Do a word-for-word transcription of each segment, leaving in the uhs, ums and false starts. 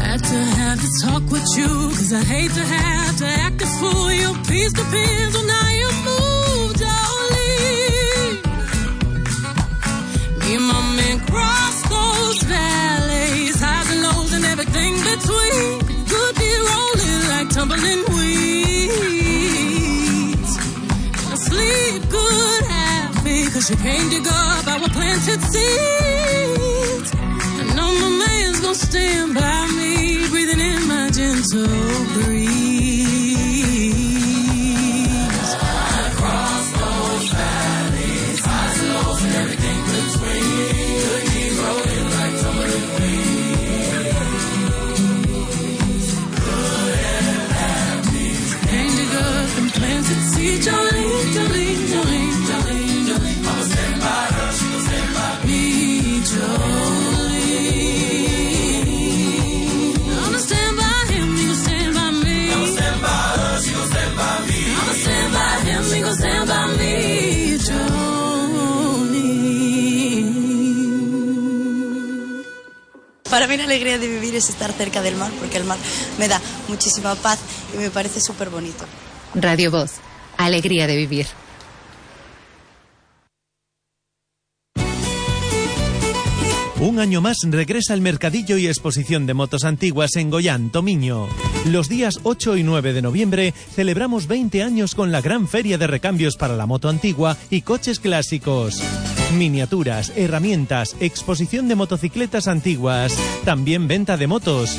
Had to have to talk with you, cause I hate to have to act a fool. Your peace depends on how you move, darling. Me and my man cross those valleys, highs and lows and everything between. Could be rolling like tumbling weeds. I sleep good, happy, cause you came to go up our planted seeds. I know my man's gonna stand by me, breathing in my gentle breeze. Across those valleys, highs and lows and everything between. Could be rolling like tumbling weeds. Good and happy, came to go up and planted seeds. Jolene, Jolene, Jolene, Jolene, Jolene. I'ma stand by her, she gon' stand by me, Jolene. Stand by me, Para mí la alegría de vivir es estar cerca del mar, porque el mar me da muchísima paz y me parece súper bonito. Radio Voz, alegría de vivir. Un año más regresa el mercadillo y exposición de motos antiguas en Goián, Tomiño. Los días ocho y nueve de noviembre celebramos veinte años con la gran feria de recambios para la moto antigua y coches clásicos. Miniaturas, herramientas, exposición de motocicletas antiguas, también venta de motos.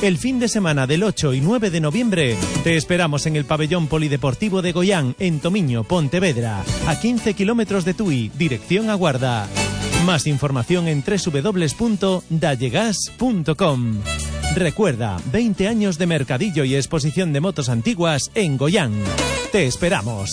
El fin de semana del ocho y nueve de noviembre te esperamos en el pabellón polideportivo de Goián, en Tomiño, Pontevedra, a quince kilómetros de Tui, dirección a Guarda. Más información en doble u doble u doble u punto dallegas punto com. Recuerda, veinte años de mercadillo y exposición de motos antiguas en Goián. Te esperamos.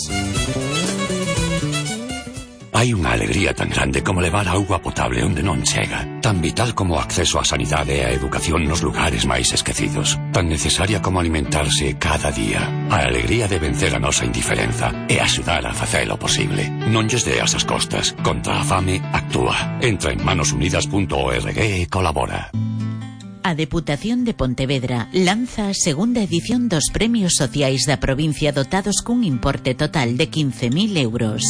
Hai unha alegría tan grande como levar auga potable onde non chega, tan vital como o acceso á sanidade e á educación nos lugares máis esquecidos, tan necesaria como alimentarse cada día. A alegría de vencer a nosa indiferenza e axudar a facelo posible. Non lles deas as costas. Contra a fame, actúa. Entra en manos unidas punto org e colabora. A Deputación de Pontevedra lanza a segunda edición dos Premios Sociais da provincia dotados cun importe total de quince mil euros.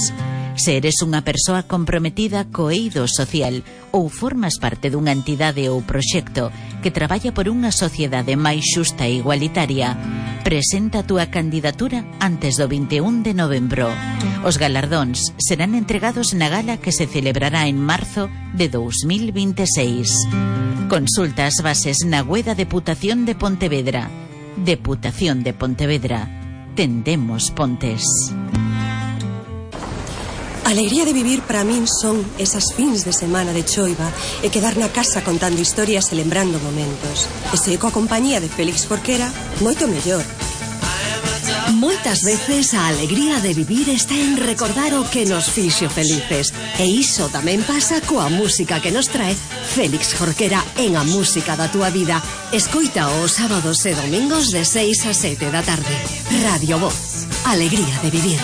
Se eres unha persoa comprometida co eido social ou formas parte dunha entidade ou proxecto que traballa por unha sociedade máis xusta e igualitaria, presenta a túa candidatura antes do vinte e un de novembro. Os galardóns serán entregados na gala que se celebrará en marzo de dous mil vinte e seis. Consulta as bases na web da Deputación de Pontevedra. Deputación de Pontevedra. Tendemos pontes. A alegría de vivir para min son esas fins de semana de choiva e quedar na casa contando historias e lembrando momentos. E se coa compañía de Félix Jorquera, moito mellor. Moitas veces a alegría de vivir está en recordar o que nos fixo felices. E iso tamén pasa coa música que nos trae Félix Jorquera en A Música da Túa Vida. Escoita os sábados e domingos de seis a sete da tarde. Radio Voz, alegría de vivir.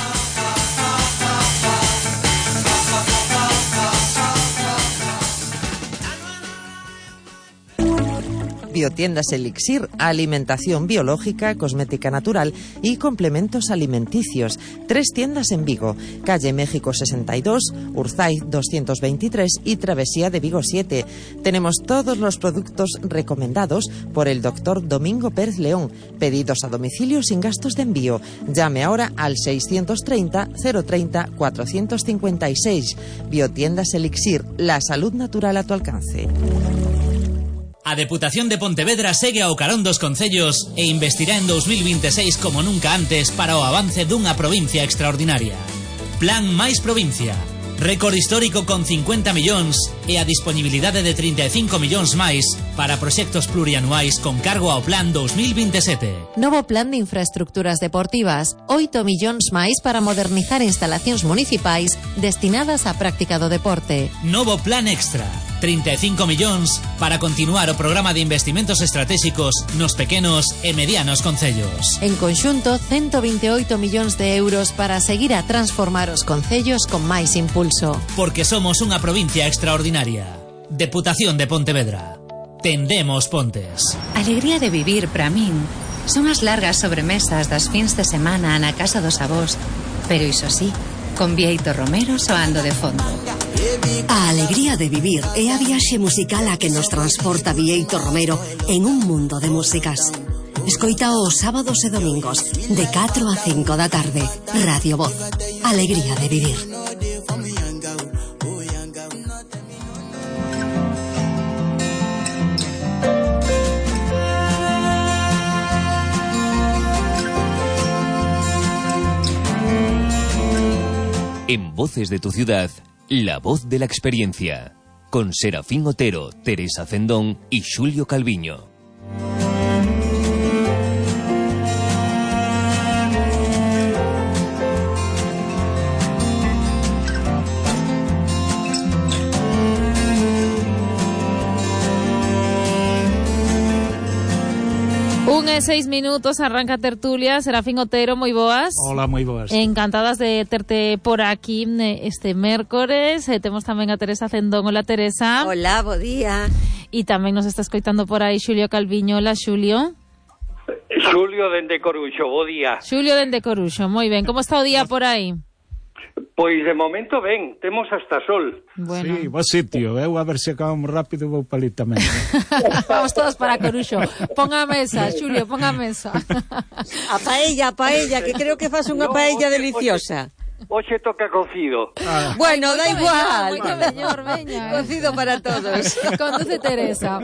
Biotiendas Elixir, alimentación biológica, cosmética natural y complementos alimenticios. Tres tiendas en Vigo, calle México sesenta y dos, Urzaiz doscientos veintitrés y Travesía de Vigo siete. Tenemos todos los productos recomendados por el doctor Domingo Pérez León. Pedidos a domicilio sin gastos de envío. Llame ahora al seiscientos treinta, cero treinta, cuatrocientos cincuenta y seis. Biotiendas Elixir, la salud natural a tu alcance. A Deputación de Pontevedra segue ao carón dos concellos e investirá en dous mil vinte e seis como nunca antes para o avance dunha provincia extraordinaria. Plan máis provincia. Récord histórico con cincuenta millóns e a disponibilidade de trinta e cinco millóns máis para proxectos plurianuais con cargo ao Plan dous mil vinte e sete. Novo Plan de Infraestructuras Deportivas, oito millóns máis para modernizar instalacións municipais destinadas á práctica do deporte. Novo Plan Extra, trinta e cinco millóns para continuar o programa de investimentos estratégicos nos pequenos e medianos concellos. En conxunto, ciento vinte e oito millóns de euros para seguir a transformar os concellos con máis impulso. Porque somos unha provincia extraordinaria. Deputación de Pontevedra. tendemos pontes. Alegría de vivir para min son as largas sobremesas das fins de semana na casa dos avós, pero iso sí, con Bieito Romero soando de fondo. A alegría de vivir é a viaxe musical a que nos transporta Bieito Romero en un mundo de músicas. Escoita os sábados e domingos de catro a cinco da tarde. Radio Voz. Alegría de vivir. En Voces de tu Ciudad, la voz de la experiencia. Con Serafín Otero, Teresa Cendón y Xulio Calviño. Un e seis minutos, arranca tertulia. Serafín Otero, moi boas. Hola, moi boas. Encantadas de terte por aquí este mércores. Eh, temos tamén a Teresa Cendón. Hola, Teresa. Hola, bo día. E tamén nos está escoitando por aí Xulio Calviño. Hola, Xulio. Xulio dende Coruxo, bo día. Xulio dende Coruxo, moi ben. Como está o día por aí? Pois de momento ben, temos hasta sol. Bueno. Sí, bo sitio, eu a ver se acabamos rápido vou para ali tamén. Vamos todos para Coruxo. Pon a mesa, Xulio, pon a mesa. A paella, a paella, que creo que faz unha no, paella oxe, deliciosa. Oxe toca cocido. Ah. Bueno, da igual. Moito mellor, veña. Cocido para todos. Conduce Teresa.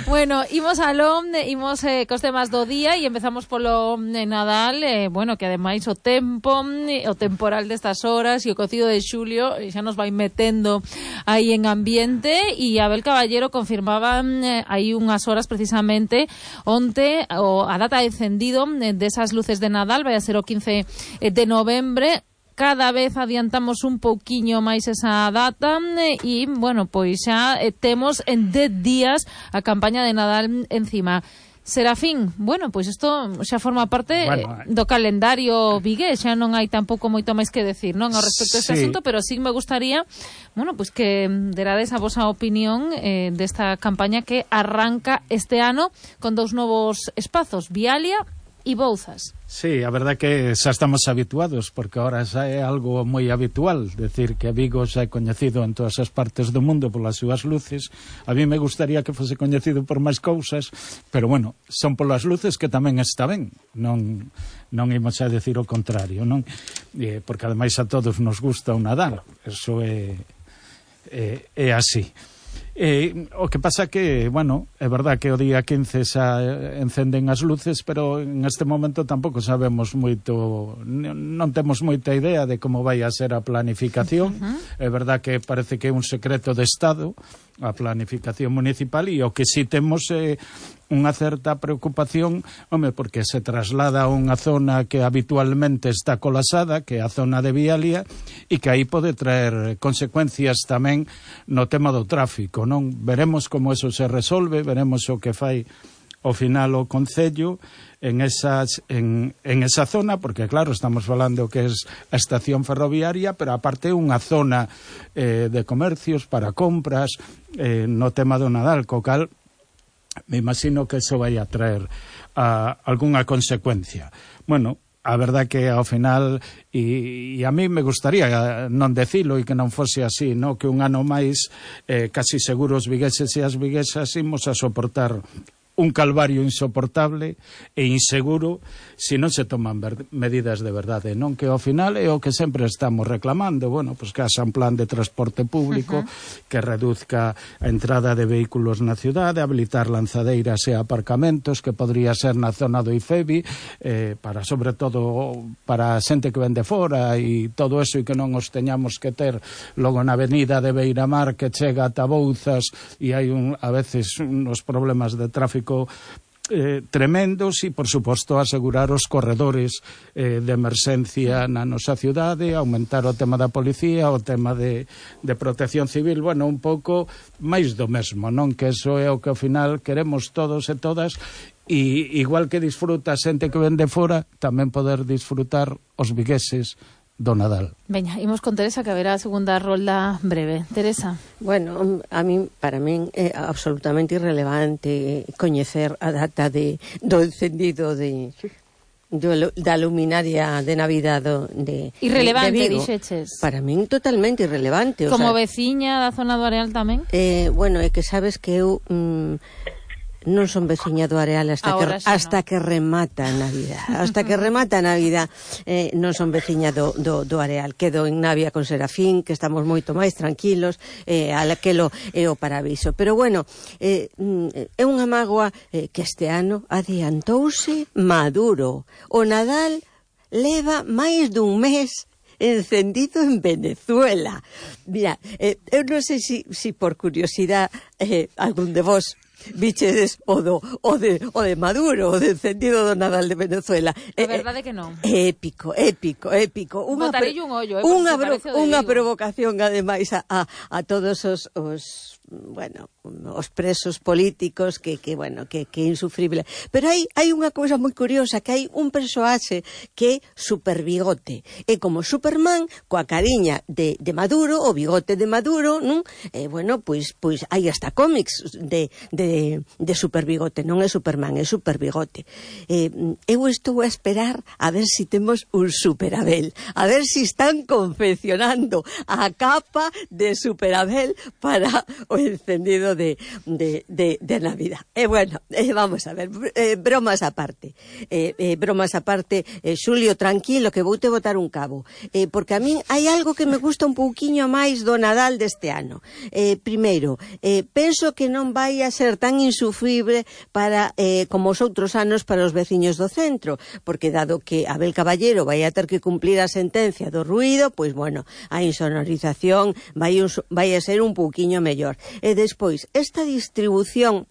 Bueno, imos aló, imos eh, cos temas do día e empezamos polo eh, Nadal, eh, bueno, que ademais o tempo, eh, o temporal destas horas e o cocido de Xulio eh, xa nos vai metendo aí en ambiente e Abel Caballero confirmaba eh, aí unhas horas precisamente onte o, a data de encendido eh, desas luces de Nadal vai a ser o quince de novembre. Cada vez adiantamos un pouquiño máis esa data e, bueno, pois xa temos en dez días a campaña de Nadal encima. Serafín, bueno, pois isto xa forma parte bueno, do calendario vigués, xa non hai tampouco moito máis que decir, non, ao respecto a este sí. asunto, pero sí me gustaría, bueno, pois que derades a vosa opinión eh, desta campaña que arranca este ano con dous novos espazos, Vialia e Bouzas. Sí, a verdade que xa estamos habituados, porque ahora xa é algo moi habitual, decir que Vigo xa é coñecido en todas as partes do mundo polas súas luces. A mí me gustaría que fose coñecido por máis cousas, pero bueno, son polas luces que tamén está ben, non non imos a decir o contrario, non? Eh, porque ademais a todos nos gusta o Nadal, eso é é, é así. Eh, o que pasa que, bueno, é verdad que o día quince xa encenden as luces, pero en este momento tampouco sabemos moito, non temos moita idea de como vai a ser a planificación. Uh-huh. É verdad que parece que é un secreto de Estado a planificación municipal, e o que si temos é unha certa preocupación, home, porque se traslada a unha zona que habitualmente está colapsada, que é a zona de Vialia, e que aí pode traer consecuencias tamén no tema do tráfico, non? Veremos como eso se resolve, veremos o que fai ao final o Concello en, esas, en, en esa zona, porque claro, estamos falando que é a estación ferroviaria, pero aparte unha zona eh, de comercios para compras eh, no tema do Nadal, co cal me imagino que eso vai a traer a, algunha consecuencia. Bueno, a verdade que ao final, e, e a mí me gustaría non decilo e que non fose así, no? Que un ano máis eh, casi seguro os vigueses e as viguesas imos a soportar un calvario insoportable e inseguro se non se toman medidas de verdade, non? Que ao final é o que sempre estamos reclamando, bueno, pues que haxa un plan de transporte público, uh-huh. que reduzca a entrada de vehículos na cidade, habilitar lanzadeiras e aparcamentos, que podría ser na zona do IFEBI, eh, para, sobre todo, para a xente que vende fora e todo eso, e que non os teñamos que ter logo na avenida de Beiramar, que chega ata Bouzas, e hai un, a veces uns problemas de tráfico Eh, tremendos, e por suposto asegurar os corredores eh, de emerxencia na nosa cidade, aumentar o tema da policía, o tema de, de protección civil, bueno, un pouco máis do mesmo, non? Que eso é o que ao final queremos todos e todas, e igual que disfruta a xente que vende fora, tamén poder disfrutar os vigueses do Nadal. Veña, imos con Teresa, que haberá a segunda rolda breve. Teresa. Bueno, a mí, para min é absolutamente irrelevante coñecer a data de, do encendido de... Do, da luminaria de Navidad do, de, irrelevante, de Vigo. Dixeches. Para min totalmente irrelevante. Como o sea, veciña da zona do Areal tamén? Eh, bueno, é que sabes que eu mm, non son veciña do Areal hasta Ahora que sí, hasta no. que remata a Navidad. Hasta que remata a Navidad eh, non son veciña do, do, do Areal. Quedo en Navia con Serafín, que estamos moito máis tranquilos, eh, aquelo é o paraviso. Pero bueno, eh, é unha mágoa eh, que este ano adiantouse Maduro. O Nadal leva máis dun mes encendido en Venezuela. Mira, eh, eu non sei si, si por curiosidade eh, algún de vos bichedes o do o de o de Maduro, o de encendido do Nadal de Venezuela. A verdade que non. Épico, épico, épico. Unha Botarelle un ollo, eh, unha, porque bro, parece o de unha Vigo. provocación ademais a, a, a todos os, os bueno, os presos políticos que, que bueno, que, que é insufrible. Pero hai, hai unha cousa moi curiosa, que hai un persoaxe que é super bigote. É como Superman coa cariña de, de Maduro, o bigote de Maduro, non? Eh, bueno, pois, pois hai hasta cómics de, de, de super bigote, non é Superman, é super bigote. Eh, eu estou a esperar a ver si temos un Super Abel, a ver si están confeccionando a capa de Super Abel para o encendido de, de, de, de Navidad. E eh, bueno, eh, vamos a ver, eh, bromas aparte, eh, eh, bromas aparte, eh, Xulio, tranquilo, que voute botar un cabo, eh, porque a min hai algo que me gusta un pouquiño máis do Nadal deste ano. Eh, primeiro, eh, penso que non vai a ser tan insufrible para, eh, como os outros anos para os veciños do centro, porque dado que Abel Caballero vai a ter que cumplir a sentencia do ruído, pois bueno, a insonorización vai, un, vai a ser un pouquiño mellor. E despois, esta distribución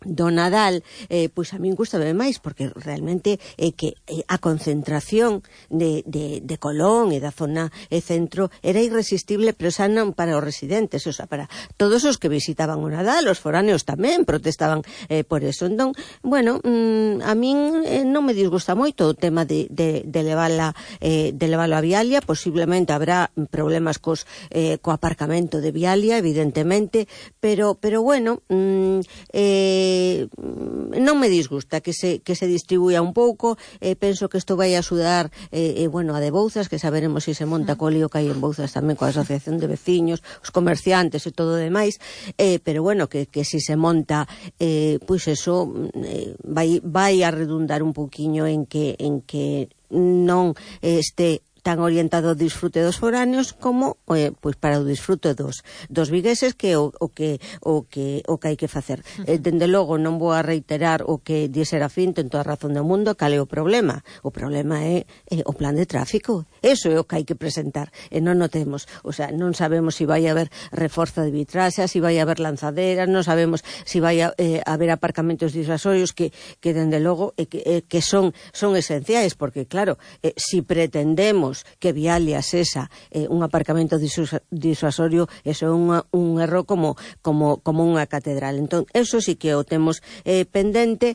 do Nadal, eh, pois a min gustame máis, porque realmente é que eh, a concentración de, de, de Colón e da zona e centro era irresistible, pero xa non para os residentes, o sea, para todos os que visitaban o Nadal, os foráneos tamén protestaban eh, por eso. Entón, bueno, mm, a min eh, non me disgusta moito o tema de, de, de levala eh, de levala a Vialia. Posiblemente habrá problemas cos, eh, co aparcamento de Vialia, evidentemente, pero, pero bueno, mm, eh, non me disgusta que se, que se distribuya un pouco. Eh, penso que isto vai a axudar eh, eh, bueno, a de Bouzas, que saberemos se si se monta co lío que hai en Bouzas tamén coa asociación de veciños, os comerciantes e todo o demais, eh, pero bueno, que, que si se monta eh, pois eso eh, vai, vai a redundar un pouquiño en que, en que non eh, este tan orientado ao disfrute dos foráneos como eh, pois para o disfrute dos, dos vigueses, que o, o que o que o que hai que facer. Eh, dende logo non vou a reiterar o que di Serafín, ten toda a razón do mundo. Cal é o problema? O problema é eh, o plan de tráfico. Eso é o que hai que presentar. E non o temos. O sea, non sabemos se si vai haber reforzo de vitraxa, se si vai haber lanzaderas, non sabemos se si vai a, eh, haber aparcamentos disuasorios que, que dende logo eh, que, eh, que son, son esenciais, porque claro, eh, si pretendemos que Vialia sesa eh, un aparcamento disuasorio, eso é unha, un erro como, como, como unha catedral. Entón, eso sí que o temos eh, pendente.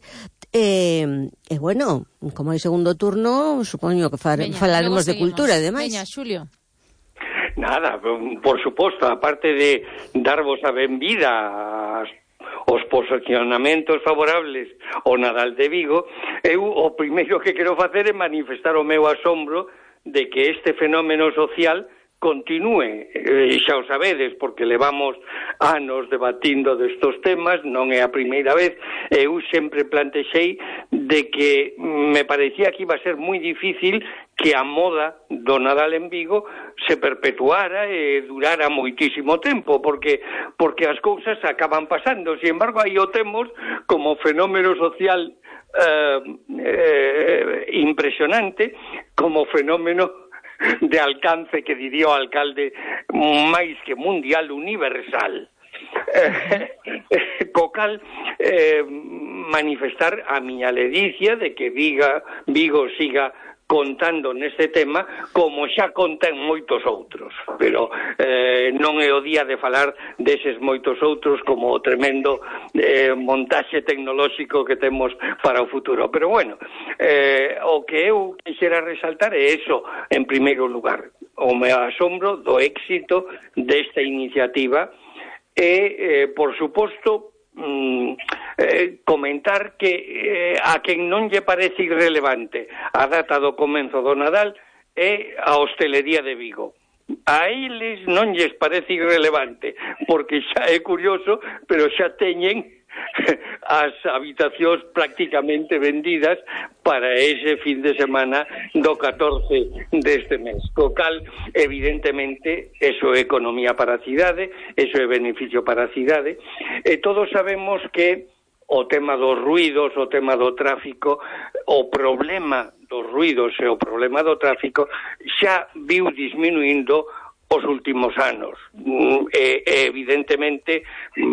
E eh, eh, bueno, como hai segundo turno, supoño que far, Veña, falaremos de cultura e demais. Veña, Xulio. Nada, por suposto, aparte de darvos a benvida os posicionamentos favorables ao Nadal de Vigo, eu o primeiro que quero facer é manifestar o meu asombro de que este fenómeno social continúe, e xa o sabedes, porque levamos anos debatindo destos temas, non é a primeira vez. Eu sempre plantexei de que me parecía que iba a ser moi difícil que a moda do Nadal en Vigo se perpetuara e durara moitísimo tempo, porque porque as cousas acaban pasando. Sin embargo, aí o temos como fenómeno social eh, eh, impresionante, como fenómeno de alcance, que diría o alcalde, máis que mundial, universal. Eh, co cal eh, manifestar a miña ledicia de que Viga, Vigo siga contando neste tema como xa contan moitos outros, pero eh, non é o día de falar deses moitos outros como o tremendo eh, montaxe tecnolóxico que temos para o futuro. Pero bueno, eh, o que eu quixera resaltar é eso, en primeiro lugar, o me asombro do éxito desta iniciativa e, eh, por suposto, Mm, eh, comentar que eh, a quen non lle parece irrelevante a data do comenzo do Nadal é a hostelería de Vigo. A eles non lles parece irrelevante, porque xa é curioso, pero xa teñen as habitacións prácticamente vendidas para ese fin de semana do catorce deste mes. Co cal, evidentemente, eso é economía para a cidade, eso é beneficio para a cidade, e todos sabemos que o tema dos ruidos, o tema do tráfico, o problema dos ruidos e o problema do tráfico xa viu disminuindo os últimos anos. E, evidentemente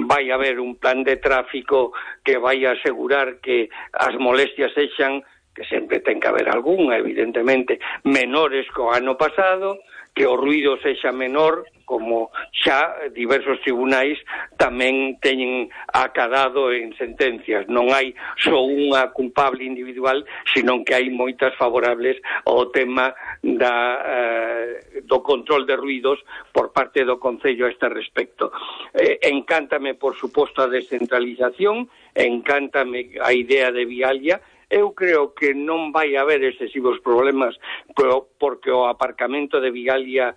vai haber un plan de tráfico que vai a asegurar que as molestias sexan, que sempre ten que haber algunha, evidentemente, menores co ano pasado, que o ruido sexa menor, como xa diversos tribunais tamén teñen acadado en sentencias. Non hai só unha culpable individual, senón que hai moitas favorables ao tema da, eh, do control de ruidos por parte do Concello a este respecto. Eh, encántame, por suposto, a descentralización, encántame a idea de Vialia. Eu creo que non vai haber excesivos problemas porque o aparcamento de Vigalia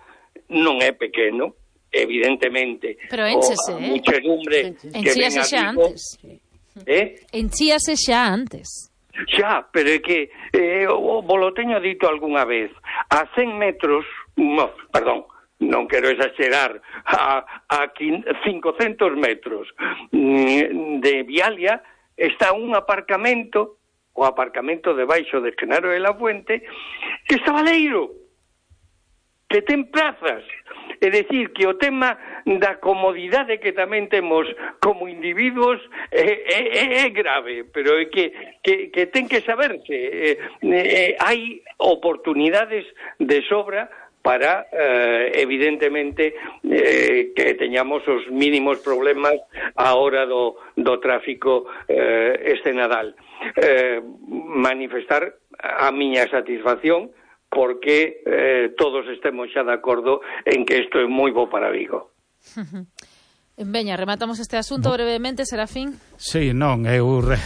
non é pequeno, evidentemente. Pero enchese, eh? Muchedumbre que ven a xa Vigo, antes. Eh? Enchíase xa antes. Xa, pero é que eh, o volo teño dito algunha vez, a cen metros, no, perdón, non quero exagerar, a, a cincocentos metros de Vialia está un aparcamento, o aparcamento debaixo de Genaro de la Fuente, que está baleiro, que ten plazas. É dicir, que o tema da comodidade que tamén temos como individuos é, é, é grave, pero é que, que, que ten que saberse. Eh, eh, hai oportunidades de sobra para, eh, evidentemente, eh, que teñamos os mínimos problemas a hora do, do tráfico eh, este Nadal. Eh, manifestar a miña satisfacción porque eh, todos estemos xa de acordo en que isto é moi bo para Vigo. Veña, rematamos este asunto brevemente, Serafín. Sí, non, eu re,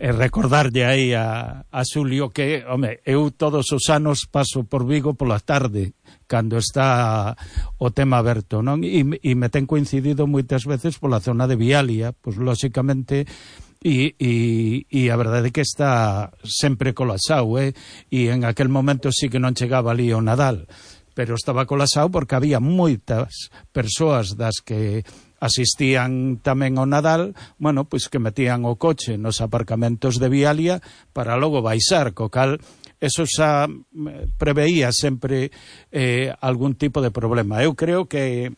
recordarlle aí a, a Xulio que, home, eu todos os anos paso por Vigo pola tarde, cando está o tema aberto, non? E, e me ten coincidido moitas veces pola zona de Vialia, pois, lóxicamente, E, e, e a verdade é que está sempre colapsado, eh? E en aquel momento sí que non chegaba ali o Nadal, pero estaba colapsado porque había moitas persoas das que asistían tamén ao Nadal, bueno, pois que metían o coche nos aparcamentos de Vialia para logo baixar, co cal eso xa preveía sempre eh, algún tipo de problema. Eu creo que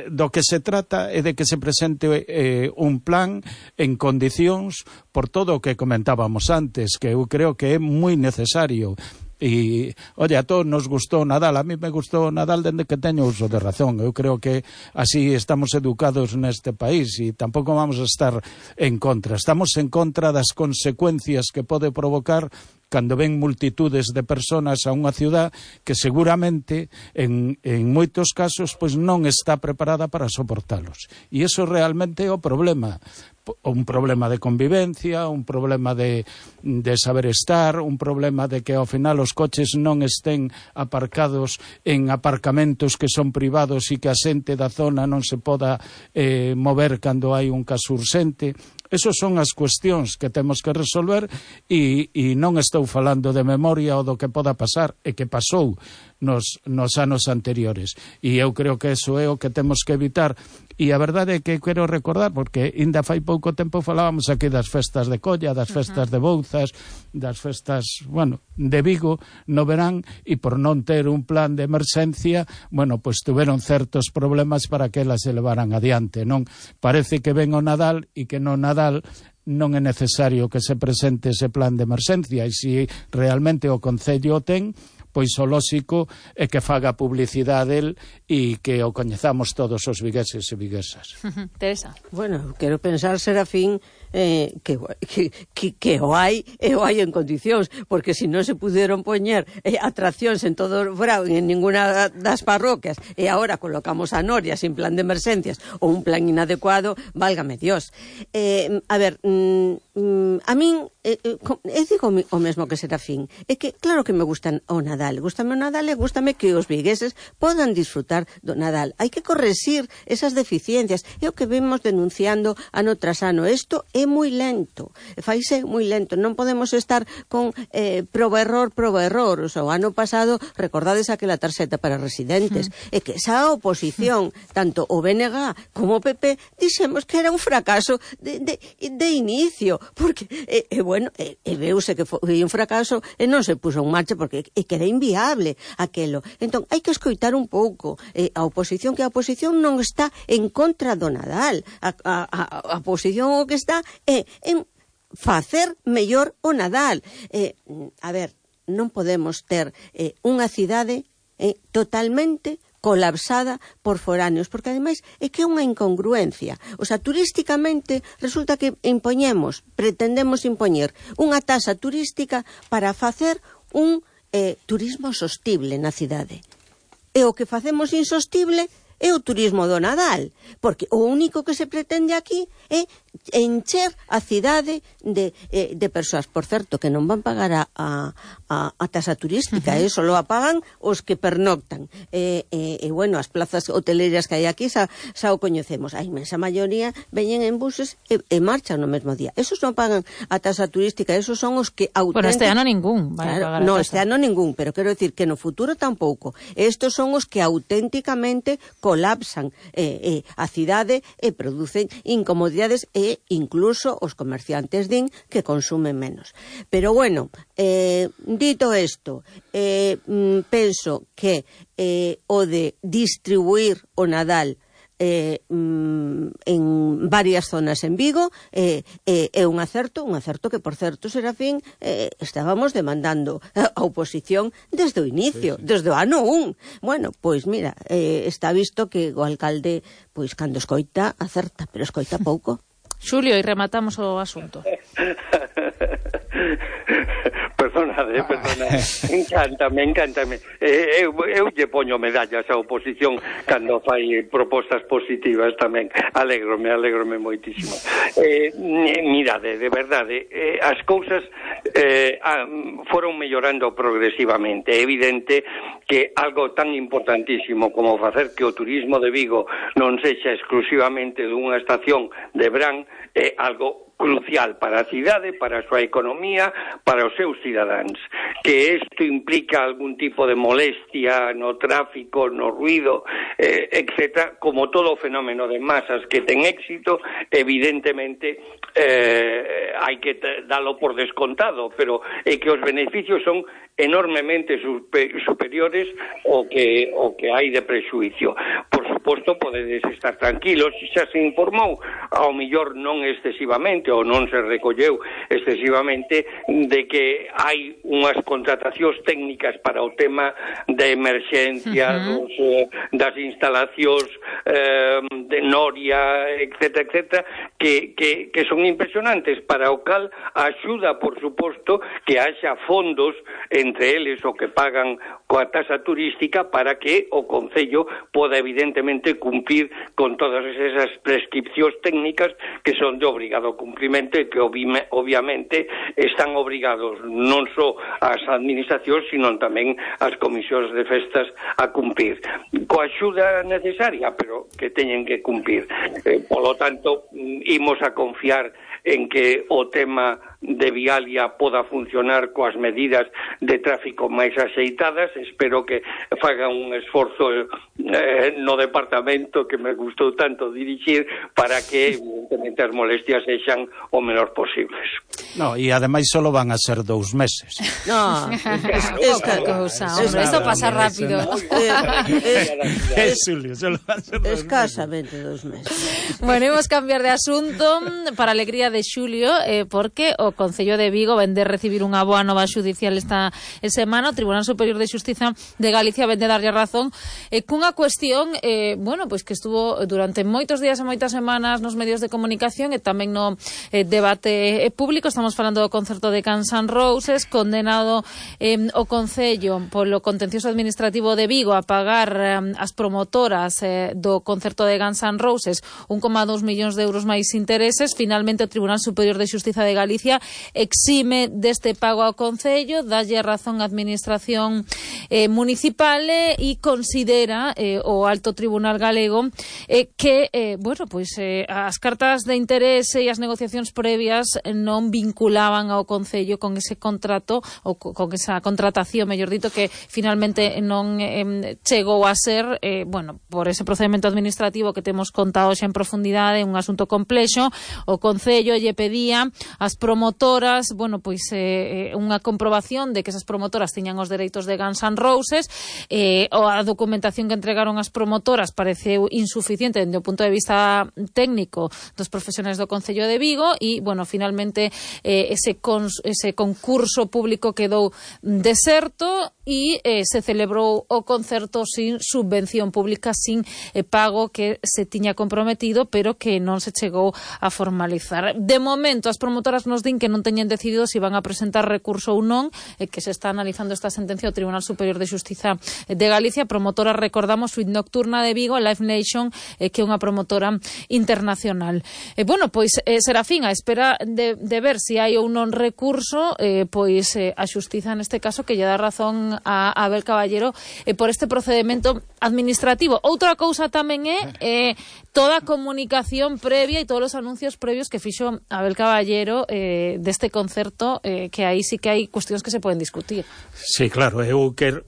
do que se trata é de que se presente eh, un plan en condicións por todo o que comentábamos antes, que eu creo que é moi necesario. E, oye, a todos nos gustou Nadal, a mí me gustou Nadal dende que teño uso de razón. Eu creo que así estamos educados neste país e tampouco vamos a estar en contra. Estamos en contra das consecuencias que pode provocar cando ven multitudes de personas a unha ciudad que seguramente en, en moitos casos pois non está preparada para soportalos. E iso realmente é o problema. Un problema de convivencia, un problema de, de saber estar, un problema de que ao final os coches non estén aparcados en aparcamentos que son privados e que a xente da zona non se poda eh, mover cando hai un caso urxente. Esas son as cuestións que temos que resolver e, e non estou falando de memoria ou do que poda pasar e que pasou nos, nos anos anteriores. E eu creo que eso é o que temos que evitar. E a verdade é que quero recordar, porque ainda fai pouco tempo falábamos aquí das festas de Colla, das festas de Bouzas, das festas, bueno, de Vigo no verán, e por non ter un plan de emerxencia, bueno, pois tuveron certos problemas para que elas se levaran adiante, non? Parece que ven o Nadal e que no Nadal non é necesario que se presente ese plan de emerxencia, e se realmente o Concello o ten, pois o lóxico é que faga publicidade el e que o coñezamos todos os vigueses e viguesas. Teresa. Bueno, quero pensar, Serafín, eh, que, que, que, que o hai e o hai en condicións, porque se non se puderon poñer eh, atraccións en todo o verán en ninguna das parroquias e agora colocamos a Noria sin plan de emerxencias ou un plan inadecuado, válgame Dios. Eh, a ver, mm, mm, a min eh, eh, digo o mesmo que Serafín, é que claro que me gustan o Nadal, gústame o Nadal e gústame que os vigueses podan disfrutar do Nadal. Hai que correxir esas deficiencias, é o que vemos denunciando ano tras ano. Isto é moi lento, faise moi lento, non podemos estar con eh, proba error, proba error. O, sea, o ano pasado, recordades aquela tarxeta para residentes, mm. e que esa oposición, tanto o B N G como o P P, dixemos que era un fracaso de, de, de inicio, porque, e, e bueno, e, e veuse que foi un fracaso e non se puso en marcha porque e que era inviable aquelo. Entón, hai que escoitar un pouco eh, a oposición, que a oposición non está en contra do Nadal. A, a, a, a oposición o que está é en facer mellor o Nadal. Eh, a ver, non podemos ter eh, unha cidade eh, totalmente colapsada por foráneos, porque ademais é que é unha incongruencia. O sea, turísticamente resulta que impoñemos, pretendemos impoñer unha taxa turística para facer un eh, turismo sostible na cidade. E o que facemos insostible é o turismo do Nadal, porque o único que se pretende aquí é encher a cidade de, eh, de persoas, por certo, que non van pagar a, a, a taxa turística, uh -huh. eh, só a pagan os que pernoctan. E, eh, eh, bueno, as plazas hoteleras que hai aquí xa, xa o coñecemos. A inmensa maioría veñen en buses e, e marchan no mesmo día. Esos non pagan a taxa turística, esos son os que auténticamente... Bueno, este ano ningún van a pagar claro, no, a este ano ningún, pero quero decir que no futuro tampouco. Estos son os que auténticamente colapsan eh, eh, a cidade e producen incomodidades e incluso os comerciantes din que consumen menos. Pero bueno, eh, dito isto, eh, penso que eh, o de distribuir o Nadal Eh, mm, en varias zonas en Vigo é eh, eh, un acerto, un acerto que, por certo, Serafín, eh, estábamos demandando a oposición desde o inicio, sí, sí. desde o ano un. Bueno, pois mira, eh, está visto que o alcalde, pois cando escoita, acerta, pero escoita pouco. Xulio, e rematamos o asunto. Perdonade, perdonade. Encántame, encántame. Eh, eu, eu lle poño medallas á oposición cando fai propostas positivas tamén. Alégrome, alégrome moitísimo. Eh, mirade, de verdade, eh, as cousas eh, foron mellorando progresivamente. É evidente que algo tan importantísimo como facer que o turismo de Vigo non sexa exclusivamente dunha estación de verán é algo crucial para a cidade, para a súa economía, para os seus cidadáns. Que isto implica algún tipo de molestia no tráfico, no ruido, eh, etcétera, como todo fenómeno de masas que ten éxito, evidentemente eh, hai que dalo por descontado, pero é que os beneficios son enormemente superiores ao que, ao que hai de prexuicio. Por suposto, podedes estar tranquilos, xa se informou, ao millor non excesivamente, ou non se recolleu excesivamente, de que hai unhas contratacións técnicas para o tema de emerxencia, uh-huh. dos, eh, das instalacións eh, de Noria, etcétera, etcétera, que, que, que son impresionantes, para o cal axuda, por suposto, que haxa fondos entre eles o que pagan coa taxa turística para que o Concello poda evidentemente cumprir con todas esas prescripcións técnicas que son de obrigado cumprimento e que obviamente están obrigados non só as administracións, sino tamén as comisións de festas a cumprir. Coa axuda necesaria, pero que teñen que cumprir. Eh, polo tanto, imos a confiar en que o tema de Vialia poda funcionar coas medidas de tráfico máis axeitadas. Espero que faga un esforzo eh, no departamento que me gustou tanto dirixir para que, evidentemente, as molestias sexan o menor posibles. No, e ademais solo van a ser dous meses. No, es que cousa, hombre, esto pasa rápido. Escasamente dous meses. Bueno, imos cambiar de asunto para a alegría de Xulio, eh, porque o Concello de Vigo vende recibir unha boa nova xudicial esta semana. O Tribunal Superior de Xustiza de Galicia vende darlle razón eh, cunha cuestión, eh, bueno, pois que estuvo durante moitos días e moitas semanas nos medios de comunicación e tamén no eh, debate eh, público. Estamos falando do concerto de Guns N' Roses, condenado eh, o Concello polo contencioso administrativo de Vigo a pagar eh, as promotoras eh, do concerto de Guns N' Roses un coma dous millóns de euros máis intereses. Finalmente o Tribunal Superior de Xustiza de Galicia exime deste pago ao Concello, dalle razón á administración eh, municipal e eh, considera eh, o Alto Tribunal Galego eh, que, eh, bueno, pois eh, as cartas de interese e as negociacións previas non vinculaban ao Concello con ese contrato ou con esa contratación, mellor dito, que finalmente non eh, chegou a ser, eh, bueno, por ese procedimento administrativo que temos contado xa en profundidade, un asunto complexo. O Concello lle pedía ás promotoras, bueno, pois eh, unha comprobación de que esas promotoras tiñan os dereitos de Guns N' Roses. Eh, a documentación que entregaron as promotoras pareceu insuficiente dende o punto de vista técnico dos profesionais do Concello de Vigo e, bueno, finalmente eh, ese, cons, ese concurso público quedou deserto e eh, se celebrou o concerto sin subvención pública, sin eh, pago que se tiña comprometido, pero que non se chegou a formalizar. De momento, as promotoras nos din que non teñen decidido se van a presentar recurso ou non, eh, que se está analizando esta sentencia do Tribunal Superior de Xustiza de Galicia. Promotora, recordamos, Suite Nocturna de Vigo, Live Nation, eh, que é unha promotora internacional. Eh, bueno, pois, eh, Serafín, a espera de, de ver se hai ou non recurso, eh, pois eh, a Xustiza neste caso que lle dá razón a Abel Caballero eh, por este procedimento administrativo. Outra cousa tamén é eh, toda a comunicación previa e todos os anuncios previos que fixo Abel Caballero eh, deste concerto, eh, que aí sí que hai cuestións que se poden discutir. Sí, claro, eu quero,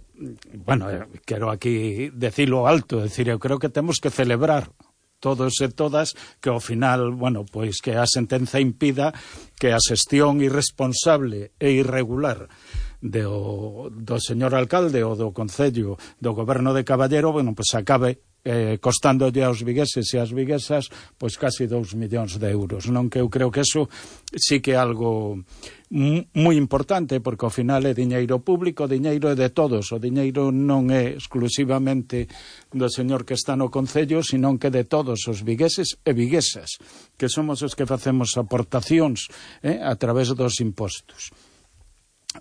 bueno, quero aquí decirlo alto, decir, eu creo que temos que celebrar todos e todas que ao final, bueno, pois que a sentenza impida que a xestión irresponsable e irregular do, do señor alcalde ou do Concello do Goberno de Caballero, bueno, pois acabe eh, costándolle aos vigueses e as viguesas pois casi dous millóns de euros, non? Que eu creo que eso sí que é algo moi importante, porque ao final é diñeiro público, o diñeiro é de todos, o diñeiro non é exclusivamente do señor que está no Concello, senón que de todos os vigueses e viguesas, que somos os que facemos aportacións eh, a través dos impostos.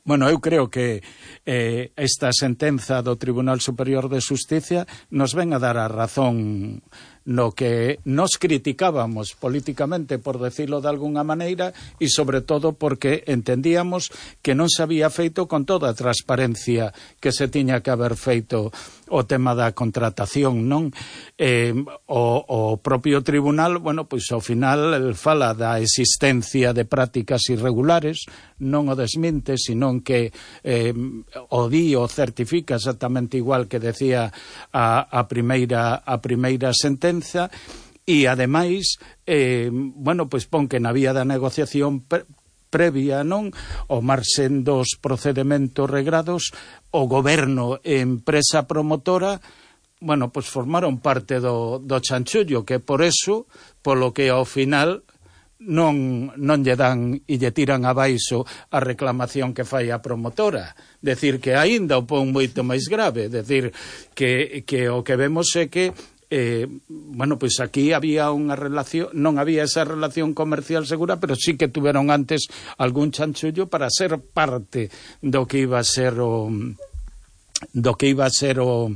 Bueno, eu creo que eh, esta sentenza do Tribunal Superior de Xusticia nos ven a dar a razón no que nos criticábamos políticamente, por decirlo de alguna maneira, e sobre todo porque entendíamos que non se había feito con toda a transparencia que se tiña que haber feito o tema da contratación, non? Eh, o, o propio tribunal, bueno, pois ao final el fala da existencia de prácticas irregulares, non o desminte, senón que eh, o di o certifica exactamente igual que decía a, a primeira a primeira sentencia. E ademais, eh, bueno, pois pon que na vía da negociación pre previa, non, o marxen dos procedementos regrados, o goberno e empresa promotora, bueno, pois formaron parte do, do chanchullo, que por eso, polo que ao final non, non lle dan e lle tiran abaixo a reclamación que fai a promotora. Decir que aínda o pon moito máis grave, decir que, que o que vemos é que Eh, bueno, pois aquí había unha relación, non había esa relación comercial segura, pero sí que tuveron antes algún chanchullo para ser parte do que iba a ser o do que iba a ser o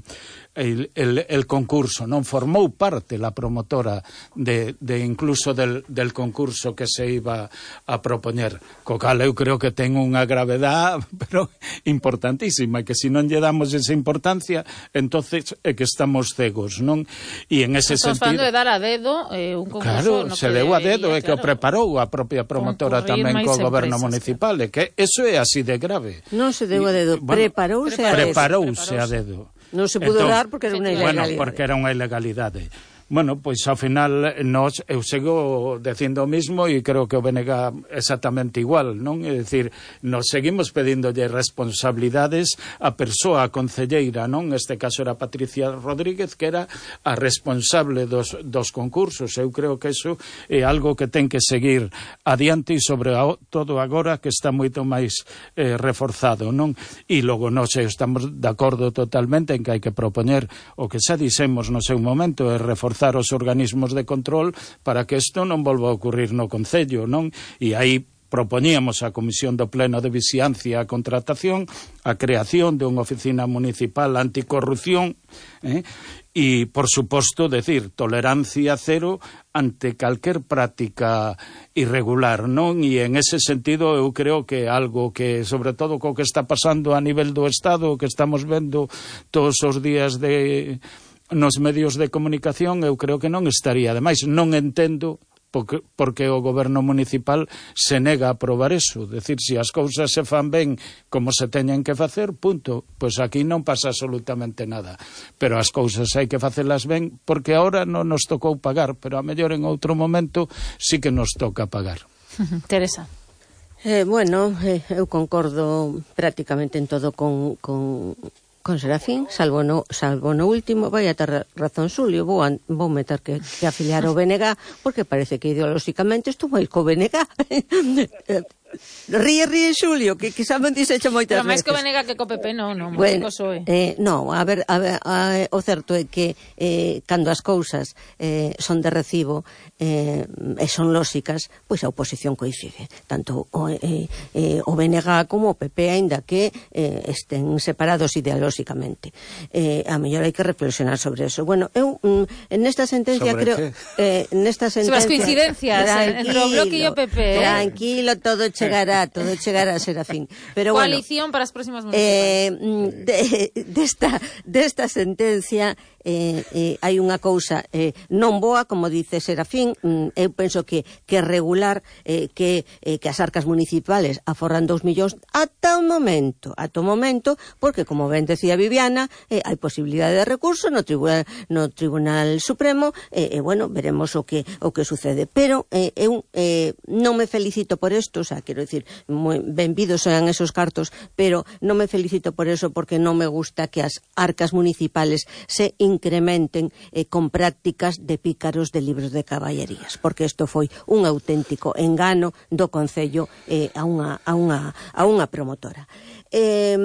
El, el, el concurso, non formou parte la promotora de, de incluso del, del concurso que se iba a propoñer, co cal eu creo que ten unha gravedad pero importantísima, que se non lle damos esa importancia, entonces é que estamos cegos, non? E en ese Estamos sentido, falando de dar a dedo eh, un concurso, claro, no se que deu a dedo, é claro, que o preparou a propia promotora tamén co goberno municipal, é que eso é así de grave. Non se deu a dedo, bueno, preparouse a dedo. Preparouse a dedo. Non se pudo entón, dar porque era unha ilegalidade. Bueno, porque era unha ilegalidade. Bueno, pois ao final nos, eu sigo dicindo o mismo e creo que o B N G exactamente igual, non? É dicir, nos seguimos pedíndolle responsabilidades a persoa, a concelleira, non? Neste caso era Patricia Rodríguez, que era a responsable dos, dos concursos. Eu creo que iso é algo que ten que seguir adiante e sobre todo agora que está moito máis eh, reforzado, non? E logo nós estamos de acordo totalmente en que hai que propoñer o que xa dixemos no seu momento, é reforzar os organismos de control para que isto non volva a ocurrir no Concello, non? E aí propoñíamos a Comisión do Pleno de Vixiancia a contratación, a creación de unha oficina municipal anticorrupción, eh? E, por suposto, decir, tolerancia cero ante calquer práctica irregular, non? E en ese sentido eu creo que algo que, sobre todo co que está pasando a nivel do Estado, que estamos vendo todos os días de nos medios de comunicación, eu creo que non estaría. Ademais, non entendo porque, porque o goberno municipal se nega a aprobar eso. Decir, se as cousas se fan ben como se teñen que facer, punto. Pois aquí non pasa absolutamente nada. Pero as cousas hai que facelas ben, porque ahora non nos tocou pagar, pero a mellor en outro momento sí que nos toca pagar. Teresa. Eh, bueno, eh, eu concordo prácticamente en todo con... con... con Serafín, salvo no, salvo no último, vai a ter razón Xulio, vou, a, vou meter que, que afiliar o B N G, porque parece que ideolóxicamente estou máis co B N G. Ríe, ríe Xulio, que quizá me dixeche moitas veces. Pero máis que o B N G que co P P, non, non, bueno, máis que o P S O E. Eh, non, a ver, a ver a, o certo é que eh, cando as cousas eh, son de recibo eh, e son lóxicas, pois a oposición coincide. Tanto o, eh, eh, o B N G como o P P, aínda que eh, estén separados ideolóxicamente. Eh, a mellor hai que reflexionar sobre eso. Bueno, eu mm, en esta sentencia sobre creo... Eh, nesta sentencia... Sobre as coincidencias entre o Bloque e o P P. Eh? Tranquilo, todo chegará, todo chegará, Serafín. Pero coalición bueno, para as próximas municipais. Eh, de, desta, desta sentencia eh, eh, hai unha cousa eh, non boa, como dice Serafín. mm, eu penso que, que regular eh, que, eh, que as arcas municipales aforran dous millóns ata o momento, ata o momento, porque como ben decía Viviana, eh, hai posibilidade de recurso no Tribunal, no Tribunal Supremo, e eh, eh, bueno, veremos o que o que sucede, pero eh, eu eh, non me felicito por isto, o sea, quero dicir, moi benvidos sean esos cartos, pero non me felicito por eso, porque non me gusta que as arcas municipales se incrementen eh, con prácticas de pícaros de libros de caballerías, porque isto foi un auténtico engano do Concello eh, a, unha, a, unha, a unha promotora. Eh,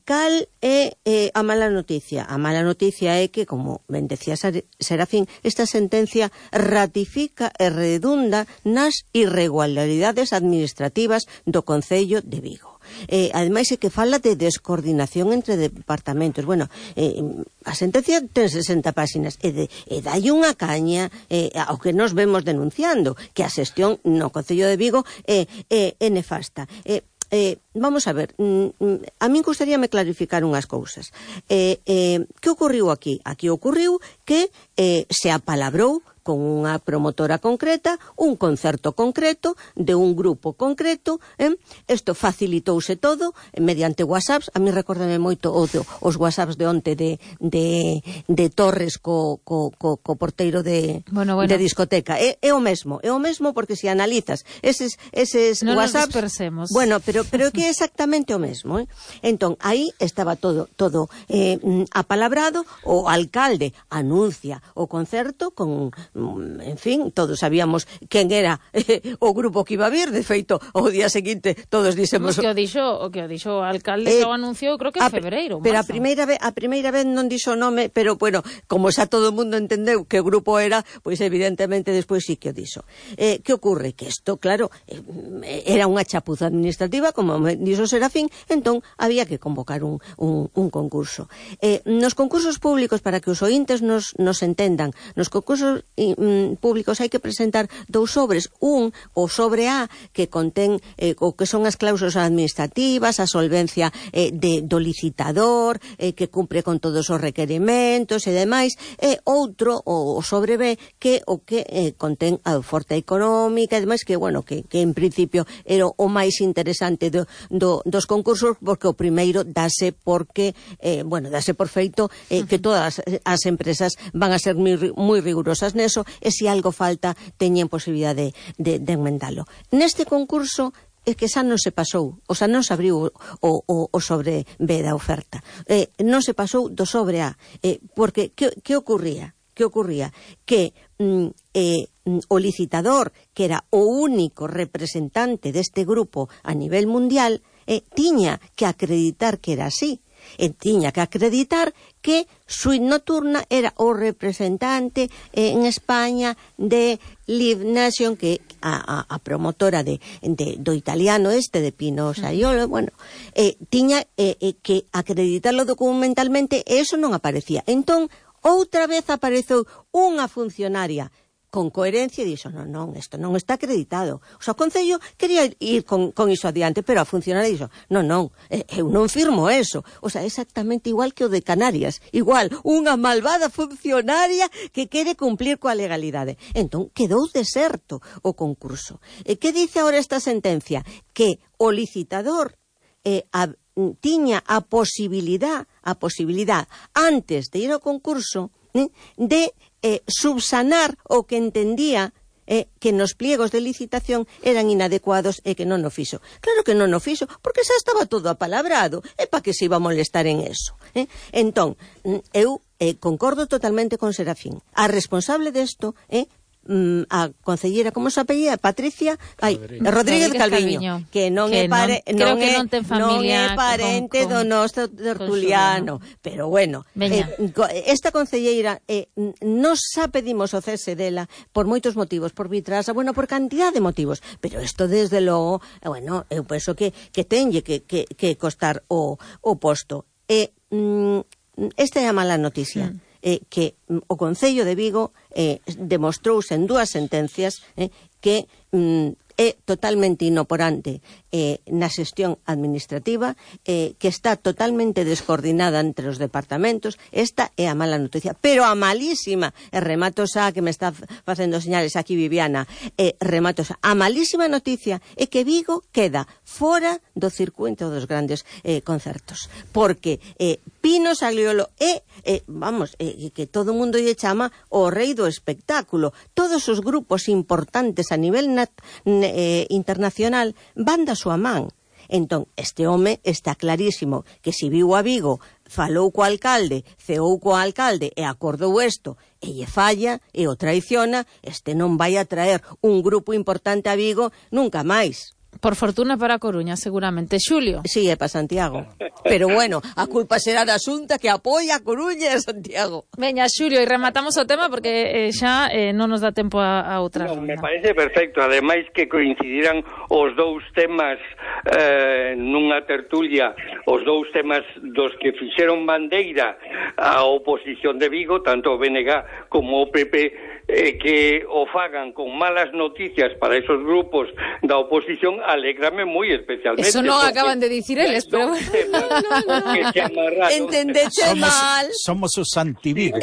cal é eh, a mala noticia? A mala noticia é que, como ben decía Serafín, esta sentencia ratifica e redunda nas irregularidades administrativas do Concello de Vigo. Eh, ademais é que fala de descoordinación entre departamentos. Bueno, eh, a sentencia ten sesenta páxinas e, de, e dai unha caña eh, ao que nos vemos denunciando, que a xestión no Concello de Vigo é, é, é nefasta. Eh, Eh, vamos a ver, mm, a min gustaríame clarificar unhas cousas. Eh, eh, que ocorriu aquí? Aquí ocorriu que eh, se apalabrou con unha promotora concreta, un concerto concreto, de un grupo concreto, eh? Isto facilitouse todo eh, mediante WhatsApps. A mí recórdame moito o do, os WhatsApps de onte de, de, de Torres co, co, co, co porteiro de, bueno, bueno. de discoteca. É, é o mesmo, é o mesmo porque se analizas eses, eses non WhatsApps... nos dispersemos. Bueno, pero, pero é que é exactamente o mesmo, eh? Entón, aí estaba todo, todo eh, apalabrado, o alcalde anuncia o concerto con... en fin, todos sabíamos quen era eh, o grupo que iba a vir. De feito, o día seguinte todos dixemos... O que o dixo o, que o, dixo o alcalde eh, que o anunciou, creo que en febreiro. Pero a primeira, vez, a primeira vez non dixo o nome, pero, bueno, como xa todo o mundo entendeu que grupo era, pois evidentemente despois sí que o dixo. Eh, que ocurre? Que isto, claro, eh, era unha chapuza administrativa, como me dixo Serafín, entón había que convocar un, un, un concurso. Eh, nos concursos públicos, para que os ointes nos, nos entendan, nos concursos mm, públicos hai que presentar dous sobres, un, o sobre A, que contén eh, o que son as cláusulas administrativas, a solvencia eh, de, do licitador, eh, que cumpre con todos os requerimentos e demais, e outro, o, o sobre B, que o que eh, contén a oferta económica e demais, que, bueno, que, que en principio era o máis interesante do, do, dos concursos, porque o primeiro dase porque, eh, bueno, dase por feito eh, que todas as empresas van a ser moi, moi rigurosas neso, e se algo falta teñen posibilidade de, de, de enmendalo. Neste concurso é que xa non se pasou, o xa non se abriu o, o, o sobre B da oferta, eh, non se pasou do sobre A, eh, porque que, que ocurría? Que ocurría? Que mm, eh, o licitador, que era o único representante deste grupo a nivel mundial, eh, tiña que acreditar que era así. E tiña que acreditar que Suite Nocturna era o representante eh, en España de Live Nation, que a, a, a promotora de, de, do italiano este, de Pino Saiolo, bueno, eh, tiña eh, eh, que acreditarlo documentalmente, e eso non aparecía. Entón, outra vez apareceu unha funcionaria con coherencia e dixo, non, non, isto non está acreditado. O sea, o Concello quería ir con, con iso adiante, pero a funcionaria dixo, non, non, eu non firmo eso. O sea, exactamente igual que o de Canarias. Igual, unha malvada funcionaria que quere cumplir coa legalidade. Entón, quedou deserto o concurso. E que dice agora esta sentencia? Que o licitador eh, a, tiña a posibilidad, a posibilidad, antes de ir ao concurso, eh, de eh, subsanar o que entendía eh, que nos pliegos de licitación eran inadecuados e que non o fixo. Claro que non o fixo, porque xa estaba todo apalabrado. E pa que se iba a molestar en eso? Eh? Entón, eu eh, concordo totalmente con Serafín. A responsable desto é eh, a concellera, como se apellida? Patricia ai, Rodríguez, Rodríguez Calviño, que non que é pare, non, non, que é, non ten familia non é parente con, con, do noso tertuliano, pero bueno, eh, esta concelleira eh, nos xa pedimos o cese dela por moitos motivos, por vitrasa, bueno, por cantidad de motivos, pero isto desde logo, bueno, eu penso que, que tenlle que, que, que costar o, o posto. E mm, esta é a mala noticia. Mm. Eh, que o Concello de Vigo eh, demostrouse en dúas sentencias eh, que mm, é totalmente inoporante eh, na xestión administrativa, eh, que está totalmente descoordinada entre os departamentos. Esta é a mala noticia, pero a malísima, e remato xa que me está facendo señales aquí Viviana, eh, remato xa, a malísima noticia é que Vigo queda fora do circuito dos grandes eh, concertos, porque eh, Pino Saiolo é, eh, vamos, eh, que todo o mundo lle chama o rei do espectáculo. Todos os grupos importantes a nivel nat, eh, internacional van da súa man. Entón, este home está clarísimo que se viu a Vigo, falou co alcalde, ceou co alcalde e acordou isto, e lle falla e o traiciona, este non vai a traer un grupo importante a Vigo nunca máis. Por fortuna para a Coruña, seguramente. Xulio. Sí, é para Santiago. Pero bueno, a culpa será da Xunta que apoia a Coruña e a Santiago. Veña, Xulio, e rematamos o tema porque eh, xa eh, non nos dá tempo a, a outra no, ronda. Me parece perfecto. Ademais que coincidirán os dous temas eh, nunha tertulia, os dous temas dos que fixeron bandeira a oposición de Vigo, tanto o B N G como o P P, eh, que o fagan con malas noticias para esos grupos da oposición, alégrame moi especialmente. Eso non acaban de dicir eles, pero bueno. Entendeche mal. Somos os anti-Vigo.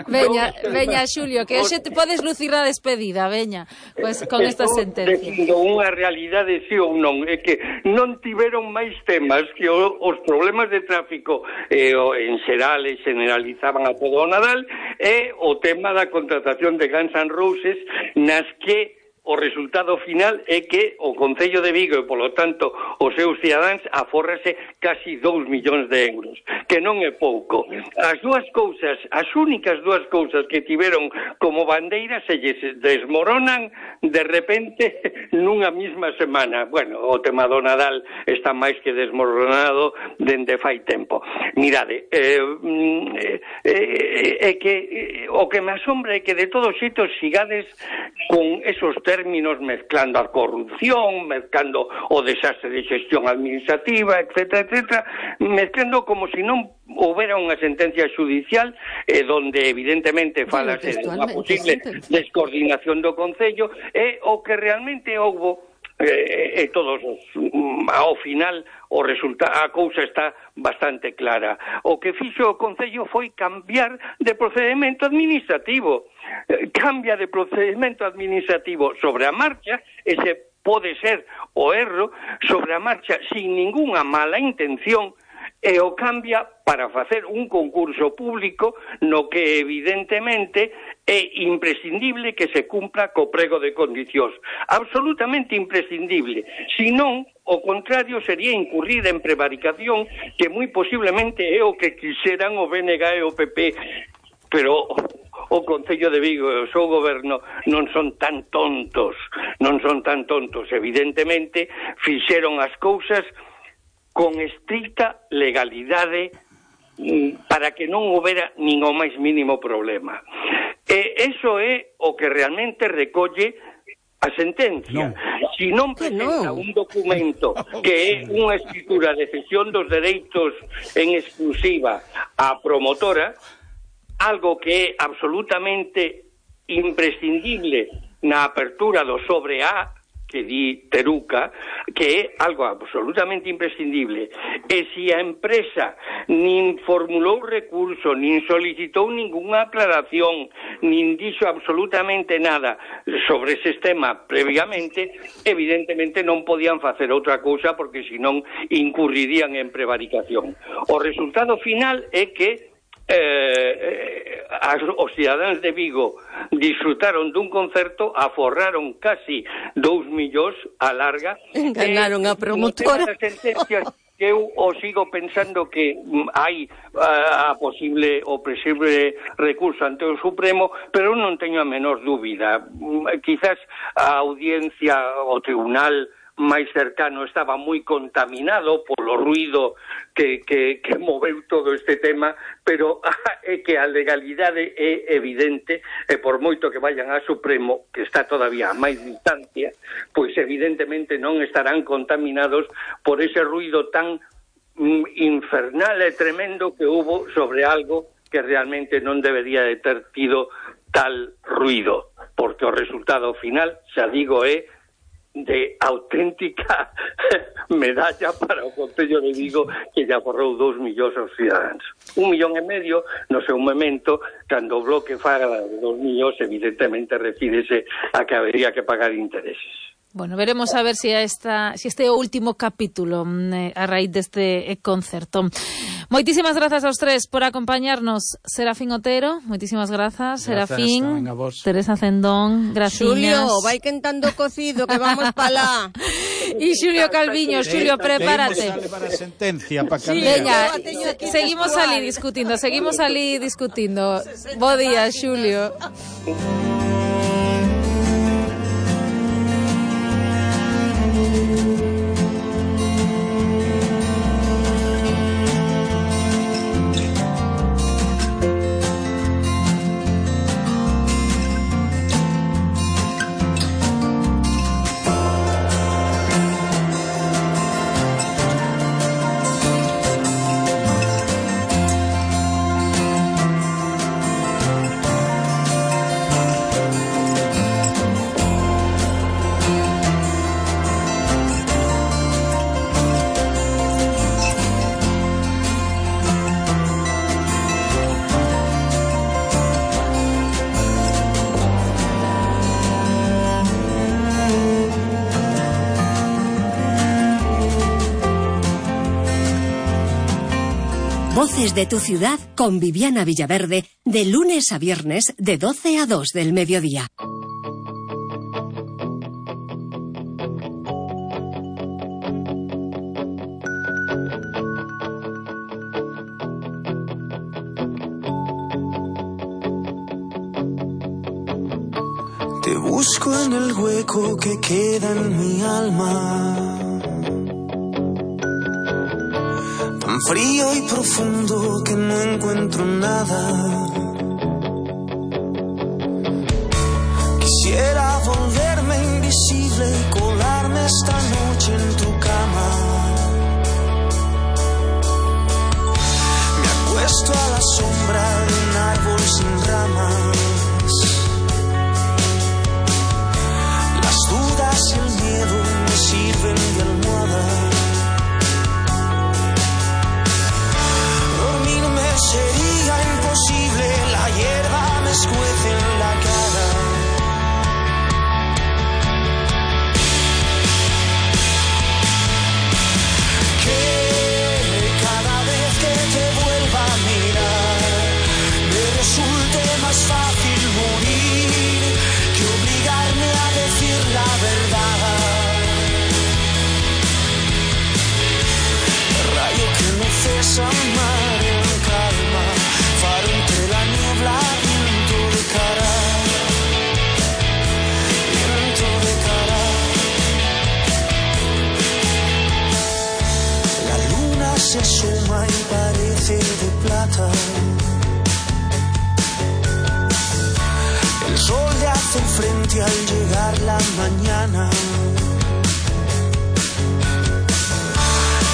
Veña, veña, Xulio, que hoxe te podes lucir a despedida, veña, pues con esta sentencia. Decindo unha realidade sí ou non, é que non tiveron máis temas que o, os problemas de tráfico eh, en xeral e generalizaban a todo o Nadal, e o tema da contratación de Guns N' Roses, nas que o resultado final é que o Concello de Vigo e, polo tanto, os seus cidadáns afórrase casi dous millóns de euros, que non é pouco. As dúas cousas, as únicas dúas cousas que tiveron como bandeira se lles desmoronan de repente nunha mesma semana. Bueno, o tema do Nadal está máis que desmoronado dende fai tempo. Mirade, é eh, eh, eh, que eh, o que me asombra é que de todos xeitos sigades con esos términos términos, mezclando a corrupción, mezclando o desastre de xestión administrativa, etcétera, etcétera, mezclando como se non houbera unha sentencia judicial eh, donde evidentemente falase de unha posible descoordinación do Concello, e o que realmente houbo e eh, todos os, ao final o resultado, a cousa está bastante clara. O que fixo o Concello foi cambiar de procedimento administrativo. Eh, cambia de procedimento administrativo sobre a marcha, ese pode ser o erro, sobre a marcha sin ningunha mala intención, e o cambia para facer un concurso público no que evidentemente é imprescindible que se cumpra co prego de condicións. Absolutamente imprescindible. Si non, o contrario sería incurrir en prevaricación, que moi posiblemente é o que quixeran o B N G e o P P, pero o Concello de Vigo e o seu goberno non son tan tontos, non son tan tontos. Evidentemente, fixeron as cousas con estricta legalidade para que non houbera nin o máis mínimo problema. E iso é o que realmente recolle a sentencia. No. Si non presenta no. un documento que é unha escritura de cesión dos dereitos en exclusiva á promotora, algo que é absolutamente imprescindible na apertura do sobre A, que di Teruca, que é algo absolutamente imprescindible. E se a empresa nin formulou recurso, nin solicitou ningunha aclaración, nin dixo absolutamente nada sobre ese tema previamente, evidentemente non podían facer outra cousa porque senón incurrirían en prevaricación. O resultado final é que Eh, as, os cidadáns de Vigo disfrutaron dun concerto, aforraron casi dous millóns a larga. Enganaron eh, a promotora. Sentencias que eu o sigo pensando que mm, hai a, a posible o posible recurso ante o Supremo, pero non teño a menor dúbida. Mm, quizás a audiencia, o tribunal máis cercano estaba moi contaminado polo ruido que, que, que moveu todo este tema, pero é que a legalidade é evidente, e por moito que vayan ao Supremo, que está todavía a máis distancia, pois evidentemente non estarán contaminados por ese ruido tan mm, infernal e tremendo que hubo sobre algo que realmente non debería de ter tido tal ruido, porque o resultado final, xa digo, é de auténtica medalla para o Concello de Vigo, que lle aforrou dous millóns aos cidadáns. Un millón e medio no seu momento, cando o bloque faga dos millóns, evidentemente refírese a que habería que pagar intereses. Bueno, veremos a ver si, a esta, si este último capítulo eh, a raíz deste concerto. Moitísimas grazas aos tres por acompañarnos. Serafín Otero, moitísimas grazas. Serafín, Teresa Cendón, gracias. Xulio, vai quentando cocido que vamos pa lá. E Xulio Calviño, Xulio, prepárate. Para a sentencia, para sí, veña, seguimos ali discutindo, seguimos ali discutindo. Bo día, Xulio. Voces de tu ciudad con Viviana Villaverde, de lunes a viernes de doce a dos del mediodía. Te busco en el hueco que queda en mi alma, tan frío y profundo que no encuentro nada. Quisiera volverme invisible y colarme esta noche en tu cama. Me acuesto a la sombra de un árbol sin ramas. Las dudas y el miedo me sirven de almohada. Dormirme sería imposible, la hierba me escuece en la cara. Que cada vez que te vuelva a mirar me resulte más fácil morir que obligarme a decir la verdad. Rayo que no cesa mar en calma, faro entre la niebla, viento de cara, viento de cara. La luna se asoma y parece de plata. El sol le hace frente al llegar la mañana.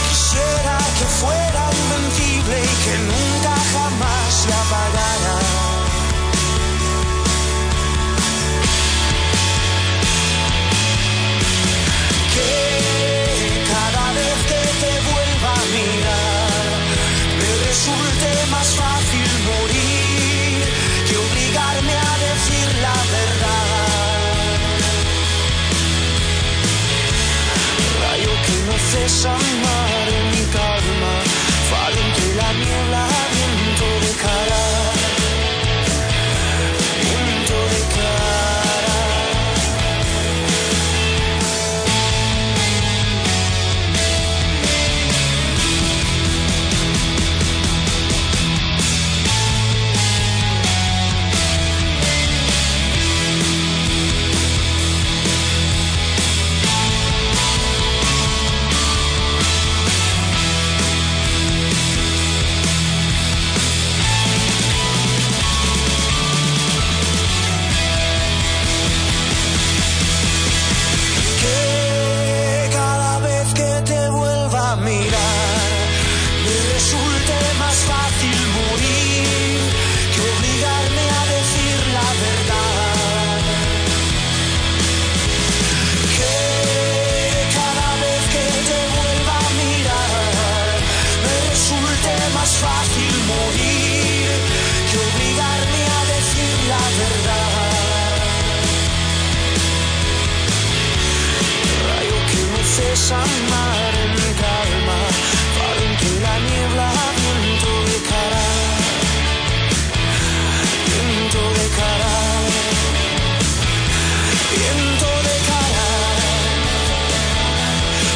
Quisiera que fuera invencible y que nunca jamás se apagara. Que cada vez que te vuelva a mirar me resulte más fácil morir que obligarme a decir la verdad. Rayo que no cesa mar en mi calma, faro entre la niebla, viento de cara, viento de cara. Que cada vez que te vuelva a mirar me resulte más fácil morir que obligarme a decir la verdad. Que cada vez que te vuelva a mirar me resulte más fácil morir que obligarme a decir la verdad. Rayo que no cesa mar en mi calma, faro entre la niebla, viento de cara, viento de cara, viento de cara,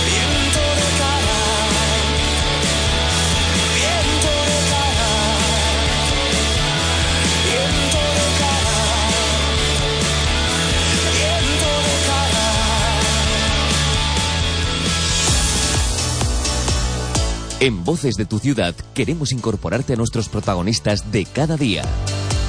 viento de cara, viento de cara, viento de cara, viento de cara. En Voces de tu Ciudad queremos incorporarte a nuestros protagonistas de cada día.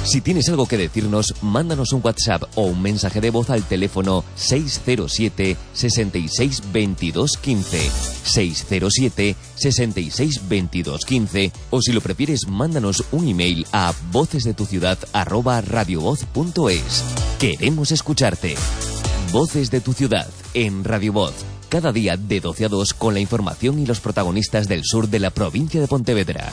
Si tienes algo que decirnos, mándanos un WhatsApp o un mensaje de voz al teléfono seis cero siete, sesenta y seis, veintidós, quince, seis cero siete, sesenta y seis, veintidós, quince, o si lo prefieres, mándanos un email a vocesdetuciudad arroba radiovoz punto es. Queremos escucharte. Voces de tu Ciudad en Radio Voz. Cada día de doce a dos con la información y los protagonistas del sur de la provincia de Pontevedra.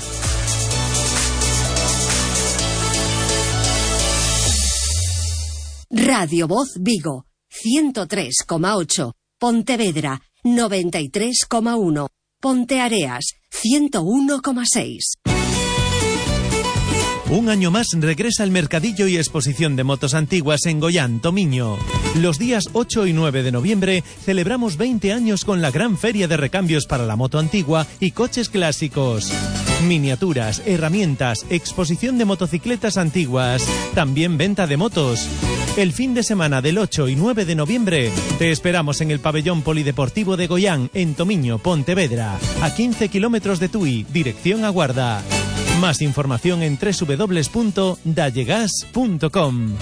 Radio Voz Vigo, ciento tres coma ocho. Pontevedra, noventa y tres coma uno. Ponteareas, ciento uno coma seis. Un año más regresa el mercadillo y exposición de motos antiguas en Goián, Tomiño. Los días ocho y nueve de noviembre celebramos veinte años con la gran feria de recambios para la moto antigua y coches clásicos. Miniaturas, herramientas, exposición de motocicletas antiguas, también venta de motos. El fin de semana del ocho y nueve de noviembre te esperamos en el pabellón polideportivo de Goián, en Tomiño, Pontevedra, a quince kilómetros de Tui, dirección a Guarda. Más información en doble u doble u doble u punto dallegas punto com.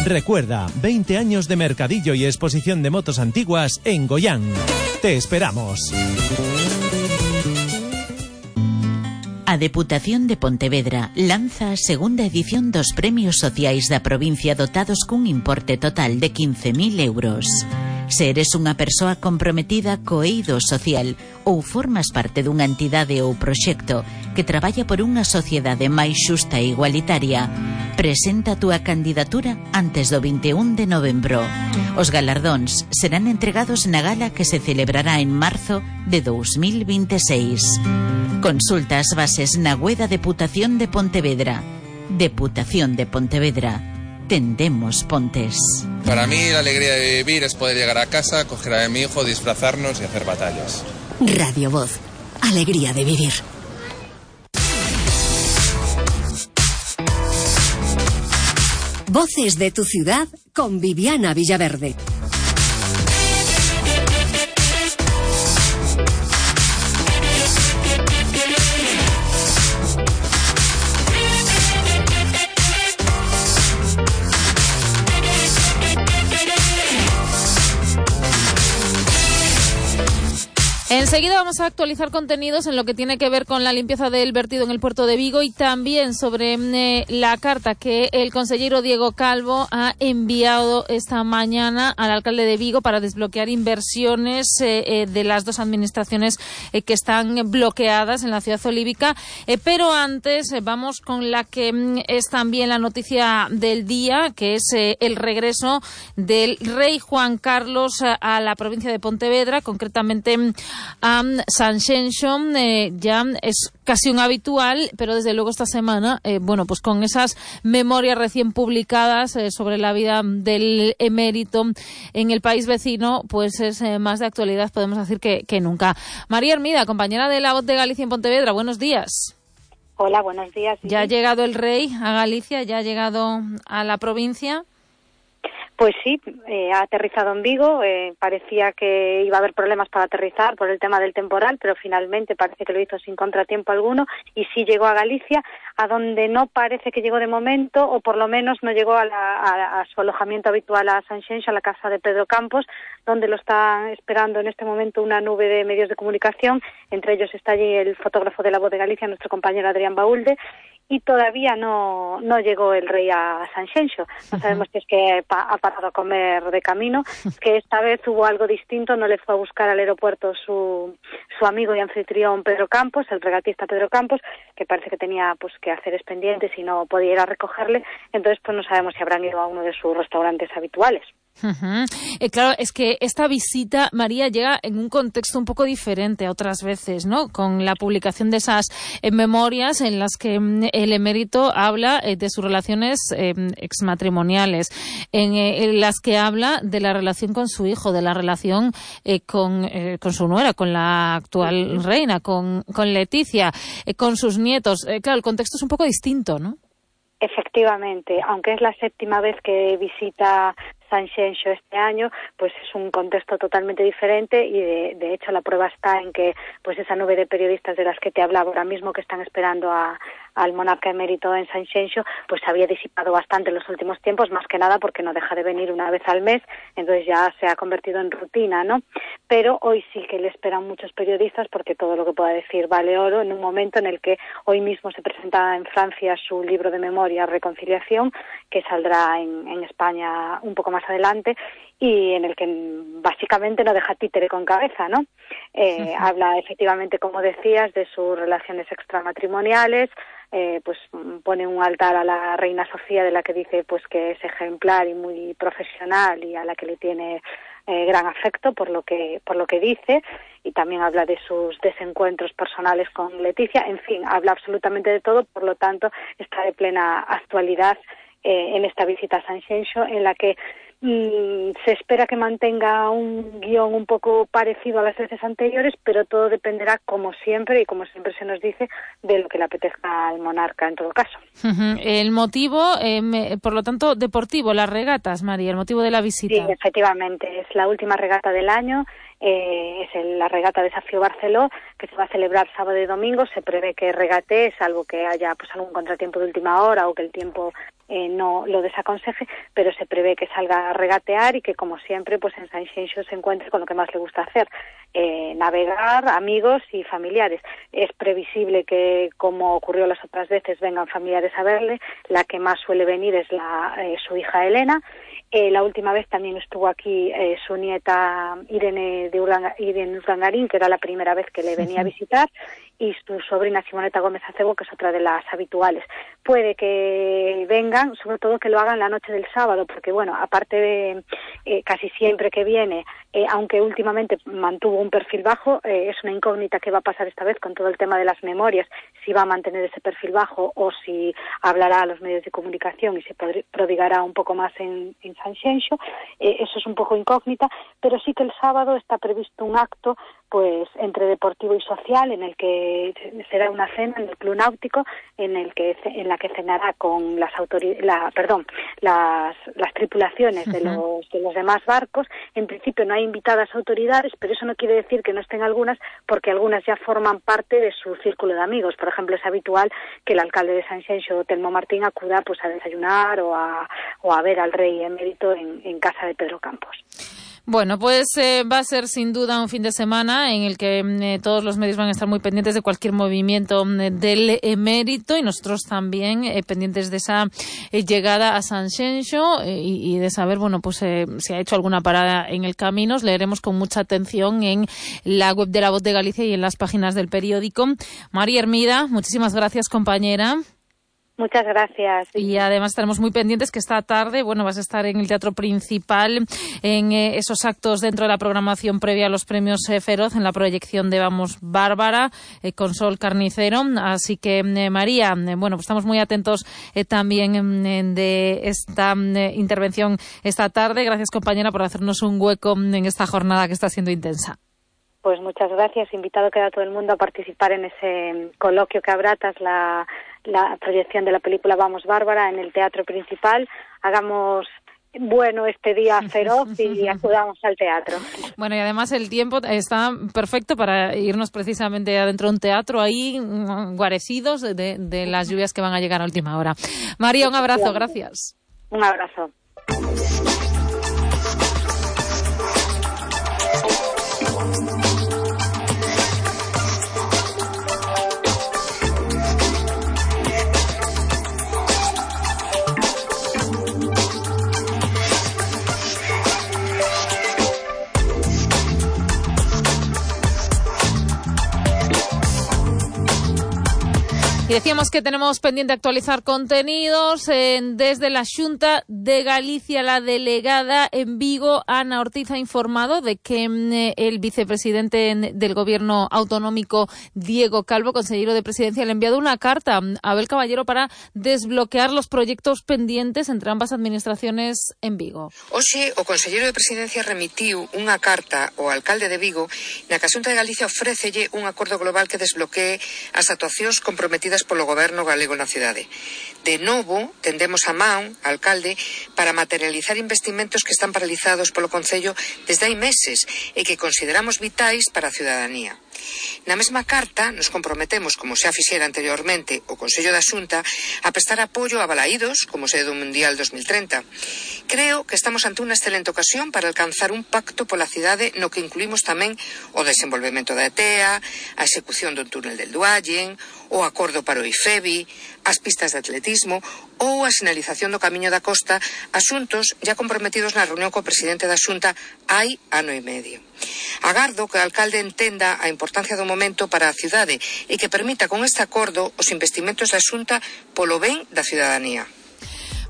Recuerda, veinte años de mercadillo y exposición de motos antiguas en Goián. Te esperamos. A Deputación de Pontevedra lanza a segunda edición dos premios sociais da provincia dotados cun importe total de quince mil euros. Se eres unha persoa comprometida co eido social ou formas parte dunha entidade ou proxecto que traballa por unha sociedade máis xusta e igualitaria, presenta a túa candidatura antes do vinte e un de novembro. Os galardóns serán entregados na gala que se celebrará en marzo de dous mil vinte e seis. Consulta as bases na web da Deputación de Pontevedra. Deputación de Pontevedra. Tendemos pontes. Para mí la alegría de vivir es poder llegar a casa, coger a mi hijo, disfrazarnos y hacer batallas. Radio Voz. Alegría de vivir. Voces de tu ciudad con Viviana Villaverde. Enseguida vamos a actualizar contenidos en lo que tiene que ver con la limpieza del vertido en el puerto de Vigo y también sobre eh, la carta que el consejero Diego Calvo ha enviado esta mañana al alcalde de Vigo para desbloquear inversiones eh, eh, de las dos administraciones eh, que están bloqueadas en la ciudad olívica. Eh, pero antes eh, vamos con la que mm, es también la noticia del día, que es eh, el regreso del rey Juan Carlos a, a la provincia de Pontevedra, concretamente a um, Sanxenxo. Eh, ya es casi un habitual, pero desde luego esta semana, eh, bueno, pues con esas memorias recién publicadas eh, sobre la vida del emérito en el país vecino, pues es eh, más de actualidad, podemos decir, que, que nunca. María Hermida, compañera de La Voz de Galicia en Pontevedra, buenos días. Hola, buenos días. ¿Ya ha llegado el rey a Galicia? ¿Ya ha llegado a la provincia? Pues sí, eh, ha aterrizado en Vigo. Eh, parecía que iba a haber problemas para aterrizar por el tema del temporal, pero finalmente parece que lo hizo sin contratiempo alguno y sí llegó a Galicia, a donde no parece que llegó de momento, o por lo menos no llegó a, la, a, a su alojamiento habitual a Sanxenxo, a la casa de Pedro Campos, donde lo está esperando en este momento una nube de medios de comunicación. Entre ellos está allí el fotógrafo de La Voz de Galicia, nuestro compañero Adrián Baúlde, y todavía no no llegó el rey a Sanxenxo. No sabemos si es que pa, ha parado a comer de camino, que esta vez hubo algo distinto, no le fue a buscar al aeropuerto su su amigo y anfitrión Pedro Campos, el regatista Pedro Campos, que parece que tenía pues que hacer pendientes y no podía ir a recogerle, entonces pues no sabemos si habrán ido a uno de sus restaurantes habituales. Uh-huh. Eh, claro, es que esta visita, María, llega en un contexto un poco diferente a otras veces, ¿no? Con la publicación de esas eh, memorias en las que mm, el emérito habla eh, de sus relaciones eh, exmatrimoniales, en, eh, en las que habla de la relación con su hijo, de la relación eh, con, eh, con su nuera, con la actual reina, con, con Leticia, eh, con sus nietos. Eh, claro, el contexto es un poco distinto, ¿no? Efectivamente, aunque es la séptima vez que visita Sanxenxo este año, pues es un contexto totalmente diferente y de, de hecho la prueba está en que pues esa nube de periodistas de las que te hablaba ahora mismo que están esperando a, al monarca emérito en Sanxenxo, pues se había disipado bastante en los últimos tiempos, más que nada porque no deja de venir una vez al mes, entonces ya se ha convertido en rutina, ¿no? Pero hoy sí que le esperan muchos periodistas porque todo lo que pueda decir vale oro en un momento en el que hoy mismo se presenta en Francia su libro de memoria Reconciliación, que saldrá en, en España un poco más adelante y en el que básicamente no deja títere con cabeza, ¿no? Eh, uh-huh. Habla efectivamente, como decías, de sus relaciones extramatrimoniales, eh, pues pone un altar a la reina Sofía, de la que dice pues que es ejemplar y muy profesional y a la que le tiene eh, gran afecto por lo que por lo que dice, y también habla de sus desencuentros personales con Leticia. En fin, habla absolutamente de todo, por lo tanto está de plena actualidad eh, en esta visita a Sanxenxo, en la que se espera que mantenga un guión un poco parecido a las veces anteriores, pero todo dependerá, como siempre, y como siempre se nos dice, de lo que le apetezca al monarca en todo caso. Uh-huh. El motivo, eh, me, por lo tanto, deportivo, las regatas, María, el motivo de la visita. Sí, efectivamente, es la última regata del año eh, es el, la regata Desafío Barceló, que se va a celebrar sábado y domingo. Se prevé que regate, salvo que haya pues algún contratiempo de última hora o que el tiempo eh, no lo desaconseje, pero se prevé que salga a regatear y que, como siempre, pues en Sanxenxo se encuentre con lo que más le gusta hacer, eh, navegar, amigos y familiares. Es previsible que, como ocurrió las otras veces, vengan familiares a verle. La que más suele venir es la eh, su hija Elena. Eh, la última vez también estuvo aquí eh, su nieta Irene de Uranga, Irene Urdangarín, que era la primera vez que le venía a visitar, y su sobrina Simoneta Gómez Acebo, que es otra de las habituales. Puede que vengan, sobre todo que lo hagan la noche del sábado, porque, bueno, aparte de eh, casi siempre que viene, eh, aunque últimamente mantuvo un perfil bajo, eh, es una incógnita qué va a pasar esta vez con todo el tema de las memorias, si va a mantener ese perfil bajo o si hablará a los medios de comunicación y se prodigará un poco más en, en Sanxenxo. Eh, eso es un poco incógnita, pero sí que el sábado está previsto un acto pues entre deportivo y social, en el que será una cena en el Club Náutico, en el que en la que cenará con las autoridades, la, perdón, las, las tripulaciones de los de los demás barcos. En principio no hay invitadas autoridades, pero eso no quiere decir que no estén algunas, porque algunas ya forman parte de su círculo de amigos. Por ejemplo, es habitual que el alcalde de Sanxenxo, Telmo Martín, acuda pues a desayunar o a o a ver al rey emérito en, en casa de Pedro Campos. Bueno, pues eh, va a ser sin duda un fin de semana en el que eh, todos los medios van a estar muy pendientes de cualquier movimiento eh, del emérito, y nosotros también eh, pendientes de esa eh, llegada a Sanxenxo eh, y, y de saber, bueno, pues eh, si ha hecho alguna parada en el camino. Os leeremos con mucha atención en la web de La Voz de Galicia y en las páginas del periódico. María Hermida, muchísimas gracias, compañera. Muchas gracias. Y además estaremos muy pendientes que esta tarde, bueno, vas a estar en el Teatro Principal en eh, esos actos dentro de la programación previa a los premios eh, Feroz, en la proyección de Vamos Bárbara, eh, con Sol Carnicero. Así que, eh, María, eh, bueno, pues estamos muy atentos eh, también eh, de esta eh, intervención esta tarde. Gracias, compañera, por hacernos un hueco en esta jornada que está siendo intensa. Pues muchas gracias. Invitado queda todo el mundo a participar en ese coloquio que habrá tras la, la proyección de la película Vamos Bárbara en el Teatro Principal. Hagamos bueno este día feroz y acudamos al teatro. Bueno, y además el tiempo está perfecto para irnos precisamente adentro de un teatro ahí guarecidos de, de las lluvias que van a llegar a última hora. María, un abrazo, gracias. Un abrazo. Y decíamos que tenemos pendiente actualizar contenidos. Eh, desde la Xunta de Galicia, la delegada en Vigo, Ana Ortiz, ha informado de que eh, el vicepresidente del Gobierno autonómico, Diego Calvo, consejero de Presidencia, le ha enviado una carta a Abel Caballero para desbloquear los proyectos pendientes entre ambas administraciones en Vigo. Hoxe, o consejero de Presidencia remitiu unha carta ao alcalde de Vigo na que a Xunta de Galicia ofrécelle un acordo global que desbloquee as actuacións comprometidas polo goberno galego na cidade. De novo, tendemos a man, alcalde, para materializar investimentos que están paralizados polo Concello desde hai meses e que consideramos vitais para a ciudadanía. Na mesma carta nos comprometemos, como xa fixera anteriormente o Consello da Xunta, a prestar apoio a Balaídos como sede do Mundial dos mil treinta. Creo que estamos ante unha excelente ocasión para alcanzar un pacto pola cidade no que incluímos tamén o desenvolvemento da E T E A, a execución do túnel del Duallen, o acordo para o IFEBI, as pistas de atletismo ou a sinalización do Camiño da Costa, asuntos ya comprometidos na reunión co presidente da Xunta hai ano e medio. Agardo que o alcalde entenda a importancia do momento para a cidade e que permita con este acordo os investimentos da Xunta polo ben da ciudadanía.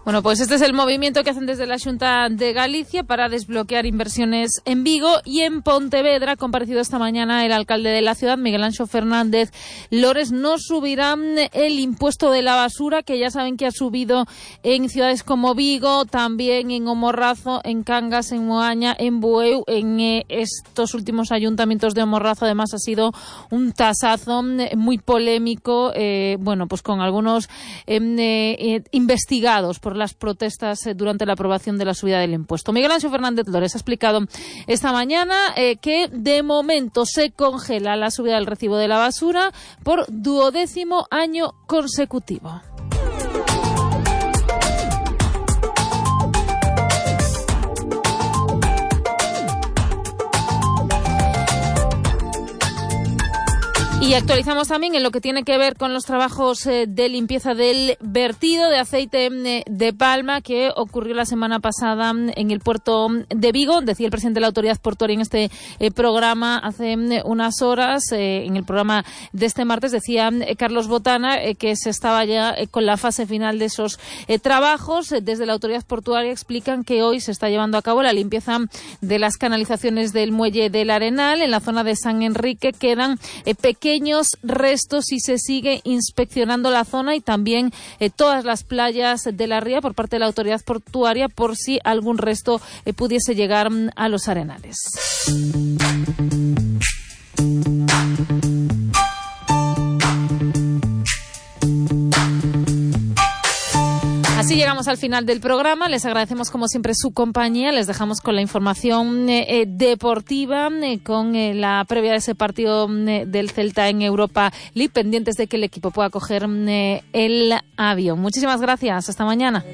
Bueno, pues este es el movimiento que hacen desde la Xunta de Galicia para desbloquear inversiones en Vigo. Y en Pontevedra ha comparecido esta mañana el alcalde de la ciudad, Miguel Anxo Fernández Lores. No subirán el impuesto de la basura, que ya saben que ha subido en ciudades como Vigo, también en O Morrazo, en Cangas, en Moaña, en Bueu. En eh, estos últimos ayuntamientos de O Morrazo, además, ha sido un tasazo muy polémico, eh, bueno, pues con algunos eh, eh, investigados por por las protestas eh, durante la aprobación de la subida del impuesto. Miguel Ángel Fernández Lores ha explicado esta mañana eh, que de momento se congela la subida del recibo de la basura por duodécimo año consecutivo. Y actualizamos también en lo que tiene que ver con los trabajos eh, de limpieza del vertido de aceite eh, de palma que ocurrió la semana pasada en el puerto de Vigo. Decía el presidente de la Autoridad Portuaria en este eh, programa hace eh, unas horas, eh, en el programa de este martes, decía eh, Carlos Botana eh, que se estaba ya eh, con la fase final de esos eh, trabajos. Desde la Autoridad Portuaria explican que hoy se está llevando a cabo la limpieza de las canalizaciones del muelle del Arenal. En la zona de San Enrique quedan eh, pequeños restos y se sigue inspeccionando la zona y también eh, todas las playas de la ría por parte de la Autoridad Portuaria por si algún resto eh, pudiese llegar mm, a los arenales. Así llegamos al final del programa. Les agradecemos como siempre su compañía. Les dejamos con la información eh, deportiva, eh, con eh, la previa de ese partido eh, del Celta en Europa League, pendientes de que el equipo pueda coger eh, el avión. Muchísimas gracias. Hasta mañana.